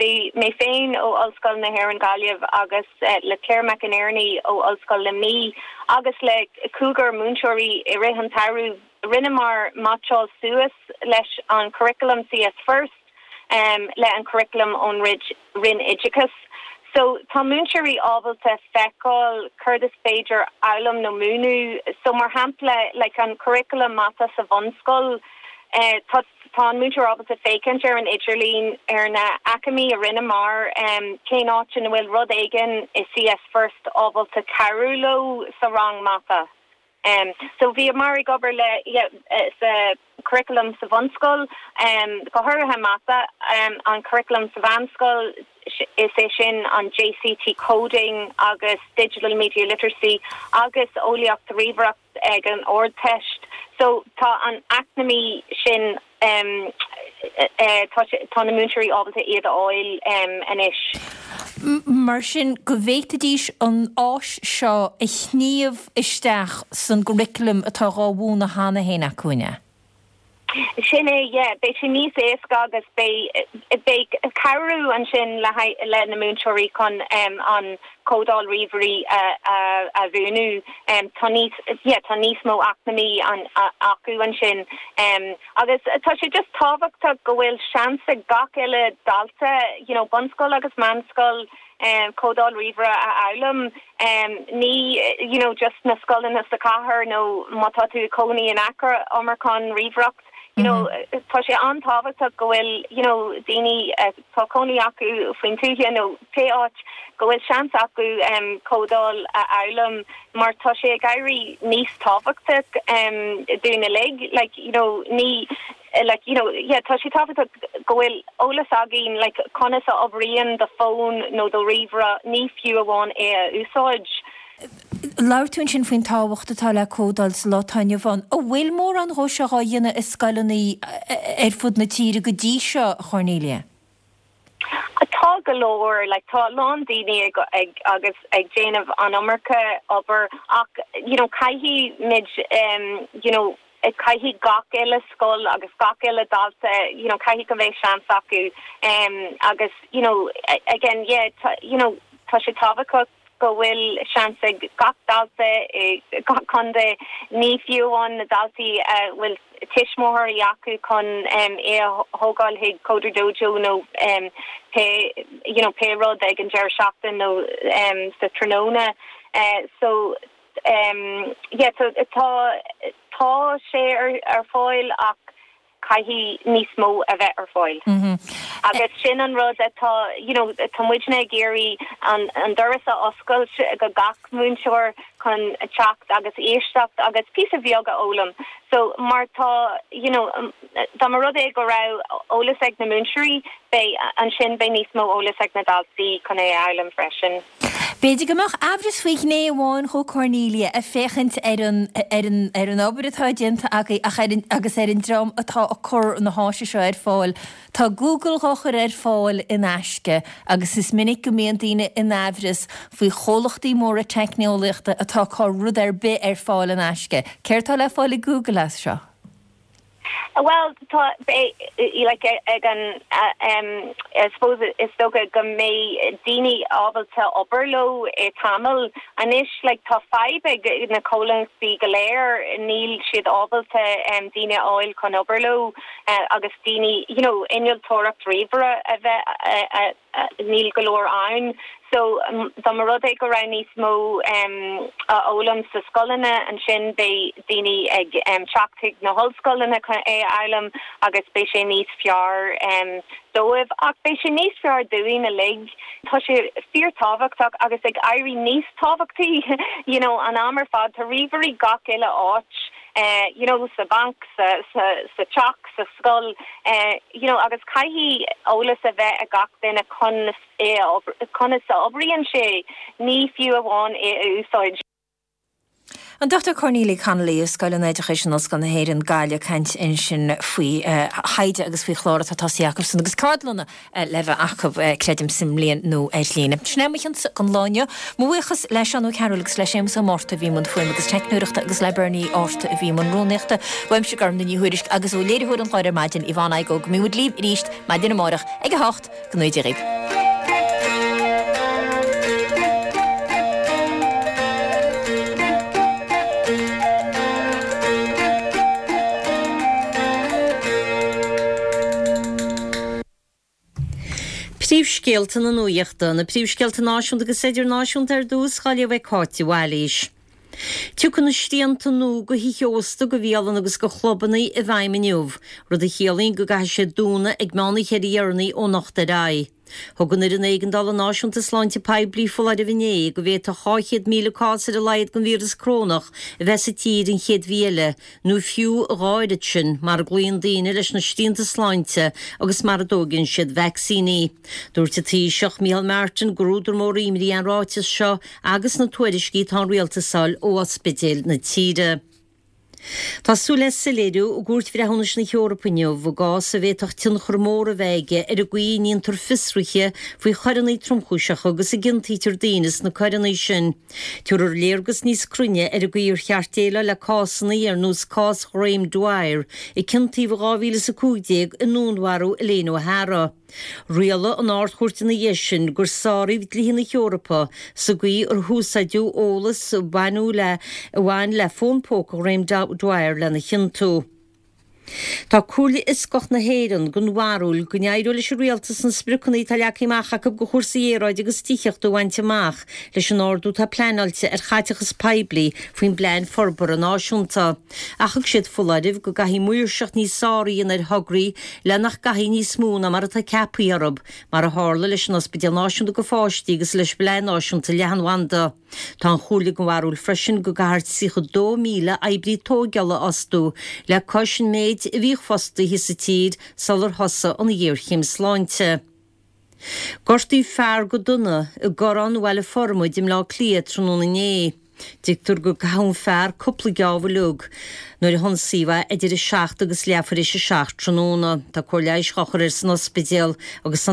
bhí mé féin ó Ollscoil na hÉireann Gaillimh agus le Claire McInerney ó Ollscoil Luimnigh agus le cúigear múinteoirí i rith an tsamhraidh, Rinneamar meaitseáil suas leis an curriculum CS First le an curriculum ón Roinn Oideachais. So tá múinteoirí ábalta feiceáil céard is féidir fhoghlaim nó múineadh. So mar shampla like an curriculum mata sa bhunscoil tá tá an múinteoir ábalta féachaint ar an idirlíon ar na aicmí a rinneamar cén áit ina bhfuil rud éigin i CS First ábalta cabhrú leo sa rang mata. So bhíomar ag obair le yeah sa curriculum sa bhunscoil, go háirithe mata, an curriculum sa mheánscoil, is é sin an JCT coding agus digital media literacy agus eolaíocht ríomhaireacht ag an Ardteist. So tá an aicmí sin tá na múinteoirí ábalta iad a fháil anois. Mar sin, go bhféadfaidís an áis seo a shníomh isteach san gcurriculum atá dhá mhúineadh cheana féin acu, an ea? Sin é, yeah. Beidh sé níos éasca agus beidh, beidh cabhrú ansin le haghaidh, le na múinteoirí chun an códáil ríomhairí a, a, a mhúineadh. Tá níos, yeah, tá níos mó aicmí an, acu ansin. Agus tá sé just tábhachtach go bhfuil seans ag gach uile dalta, you know, bunscoil agus meánscoil, códáil ríomhaire a fhoghlaim. Ní, you know, just na scoileanna sa chathair nó má tá tú i cónaí in aice Iomarcán ríomhaireacht, you know, tá sé an-tábhachtach go bhfuil, you know, daoine tá cónaí acu faoin tuaithe nó pé áit go bhfuil seans acu códáil a fhoghlaim mar tá sé ag éirí níos tábhachtach dúinn uilig, like, you know, ní, like, you know, yeah, tá sé tábhachtach go bhfuil eolas againn, like, conas a oibríonn do fón nó do ríomhaire, ní fiú amháin é a úsáid. Labhair tú ansin faoin tábhacht atá le códáil sa lá atá inniu ann. An bhfuil mórán dhó seo dhá dhéanamh i scoileanna ar fud na tíre go dtí seo, a Chornelia? Tá go leor, like tá a lán daoine ag ag agus ag déanamh an iomarca obair ach you know caithfidh muid you know Caithfidh gach uile scoil agus gach uile dalta, you know, caithfidh go mbeidh seans acu um, agus, you know, again, yeah, tá, you know, tá sé tábhachtach go bhfuil seans ag gach dalta i gach contae, ní fiú amháin na daltaí a bhfuil tuismitheoirí acu chun um, é a thógáil chuig Coder Dojo nó um, pé, you know, pé rud ag an deireadh seachtain nó um, sa tráthnóna. Uh, so um, yeah, so tá tá sé ar, ar fáil ach caithfidh níos mó a bheith ar fáil. Mm -hmm. Agus sin an rud atá you know, tá muidne ag iarraidh an, an doras a oscailt go gach múinteoir chun teacht agus éisteacht agus píosa beag a fhoghlaim. So mar tá you know, dá mba rud é go raibh eolas ag na múinteoirí beidh ansin beidh níos mó eolas ag na daltaí chun é a fhoghlaim freisin. B'fhéidir go mbeadh aimhreas faoi ghné amháin chomh Cornelia ag féachaint ar an ar an ar an obair atá déanta agaibh ach ar an agus ar an dream atá ag cur na háise seo ar fáil. Tá Google á chur ar fáil in aisce agus is minic go mbíonn daoine in aimhreas faoi chomhlachtaí móra teicneolaíochta atá ag cur rud ar bith ar fáil in aisce. Céard atá le fáil ag Google as seo? Well tá like ag an um, I suppose is dócha go mbeidh daoine ábalta obair leo i tamall anois like tá fadhb ag na comhlachtaí go léir níl siad ábalta um, daoine a fháil chun obair leo uh, agus daoine you know innealtóireacht ríomhaire a bheith uh, uh, níl go leor ann so um, dá mba rud é go raibh níos mó um, a fhoghlaim sa scoileanna ansin beidh daoine ag um, teacht chuig na hollscoileanna chun é a fhoghlaim agus beidh sé níos fearr um, dóibh ach beidh sé níos fearr dúinn uilig tá sé fíorthábhachtach agus ag éirí níos tábhachtaí you know an am ar fad tá ríomhairí gach uile áit uh, you know sa banc sa sa sa teach sa scoil uh, you know agus caithfidh eolas a bheith ag gach duine conas é conas a oibríonn sé ní fiú amháin é a úsáid. An Dochtúir Cornelia Connolly ó Scoil an Oideachais in Ollscoil na hÉireann Gaillimh ag caint ansin faoi thaighde agus faoi chlár atá tosaithe acusan agus ceardlanna le bheith acu creidim sa mbliain nó ar líne. Sin é mo chionsa don lá inniu. Mo bhuíochas le Seán Ó Cearúil agus le Séamus Ó Márta a bhí i mbun fuaime agus teicneoireachta agus le Bernie Árta a bhí i mbun rúnaíochta. Uaimse Gormfhlaith Ní Thuairisg agus ó léiritheoir an chláir ar maidin Yvonne Igoe go mbeidh muid libh arís maidin amárach ag a hocht go ngnóthaí Dia dhaoibh. Príomhscéalta na nuachta, na príomhscéalta náisiúnta agus idirnáisiúnta ar dtús á léamh ag Cáit de Bhailís. Tiocfaidh na srianta nua do thithe ósta, do bhialanna agus do chlubanna i bhfeidhm inniu, rud a chiallaíonn go gcaithfidh siad dúnadh ag meán oíche ar a dheireanaí ó anocht ar aghaidh. Thug an Fhoireann Éigeandála Náisiúnta Sláinte Poiblí foláireamh inné go bhféadfadh dhá chéad míle cás ar a laghad den víreas corónach a bheith sa tír an chéad mhí eile, nó fiú a dhá oiread sin, mara gcloíonn daoine leis na srianta sláinte agus mara dtógann siad vacsaíní. Dúirt an Taoiseach Micheál Martin gur údar mór imní an ráiteas seo agus na tuairiscí atá an rialtas a fháil ó ospidéil na tíre. Tá súil le soiléiriú i gCúirt Bhreithiúnais na hEorpa inniu i gcás a bhféadfadh tionchar mór a bheith aige ar an gcaoi a ndéantar fiosruithe faoi choireanna tromchúiseacha agus a gciontaítear daoine sna coireanna sin. Tabharfar léargas níos cruinne ar an gcaoi ar cheart déileáil le cásanna ar nós cás Ghraham Dwyer, a ciontaíodh in dhá mhíle is a cúig déag i ndúnmharú Elaine O'Hara. Rialaigh an Ard-Chúirt ina dhiaidh sin gur sáraíodh dlíthe na hEorpa sa gcaoi ar húsáideadh eolas a baineadh le a bhain le fón póca Ghraham Dwyer lena chiontú. Tá Comhairle Fhioscach na hÉireann den bharúil go n-éireoidh leis an rialtas na spriocanna atá leagtha amach acu do chúrsaí aeráide agus tithíochta a bhaint amach leis an ardú atá pleanáilte ar chaiteachas poiblí faoin bPlean Forbartha Náisiúnta. Ach thug siad foláireamh go gcaithfí maoirseacht níos fearr a dhéanamh ar thograí le nach gcaithfí níos mó ná mar atá ceaptha orthu, mar a tharla leis an Ospidéal Náisiúnta do Pháistí agus leis an bPlean Náisiúnta Leathanbhanda. Tá an Chomhairle den bharúil freisin go gcaithfear tríocha dó míle oibrí tóigeála a fhostú le cois an méid a bhíodh fostaithe sa tír sular thosaigh an ghéarchéim sláinte. Gortaíodh fear go dona i gCorrán Bhaile Formaid i mBleá Cliath tráthnóna inné. Tuigtear gur caitheadh an fear cúpla geábh uilig nuair a hionsaíodh é idir a seacht agus leathuair tar éis a seacht tráthnóna. Tá cóir leighis á chur air san ospidéal agus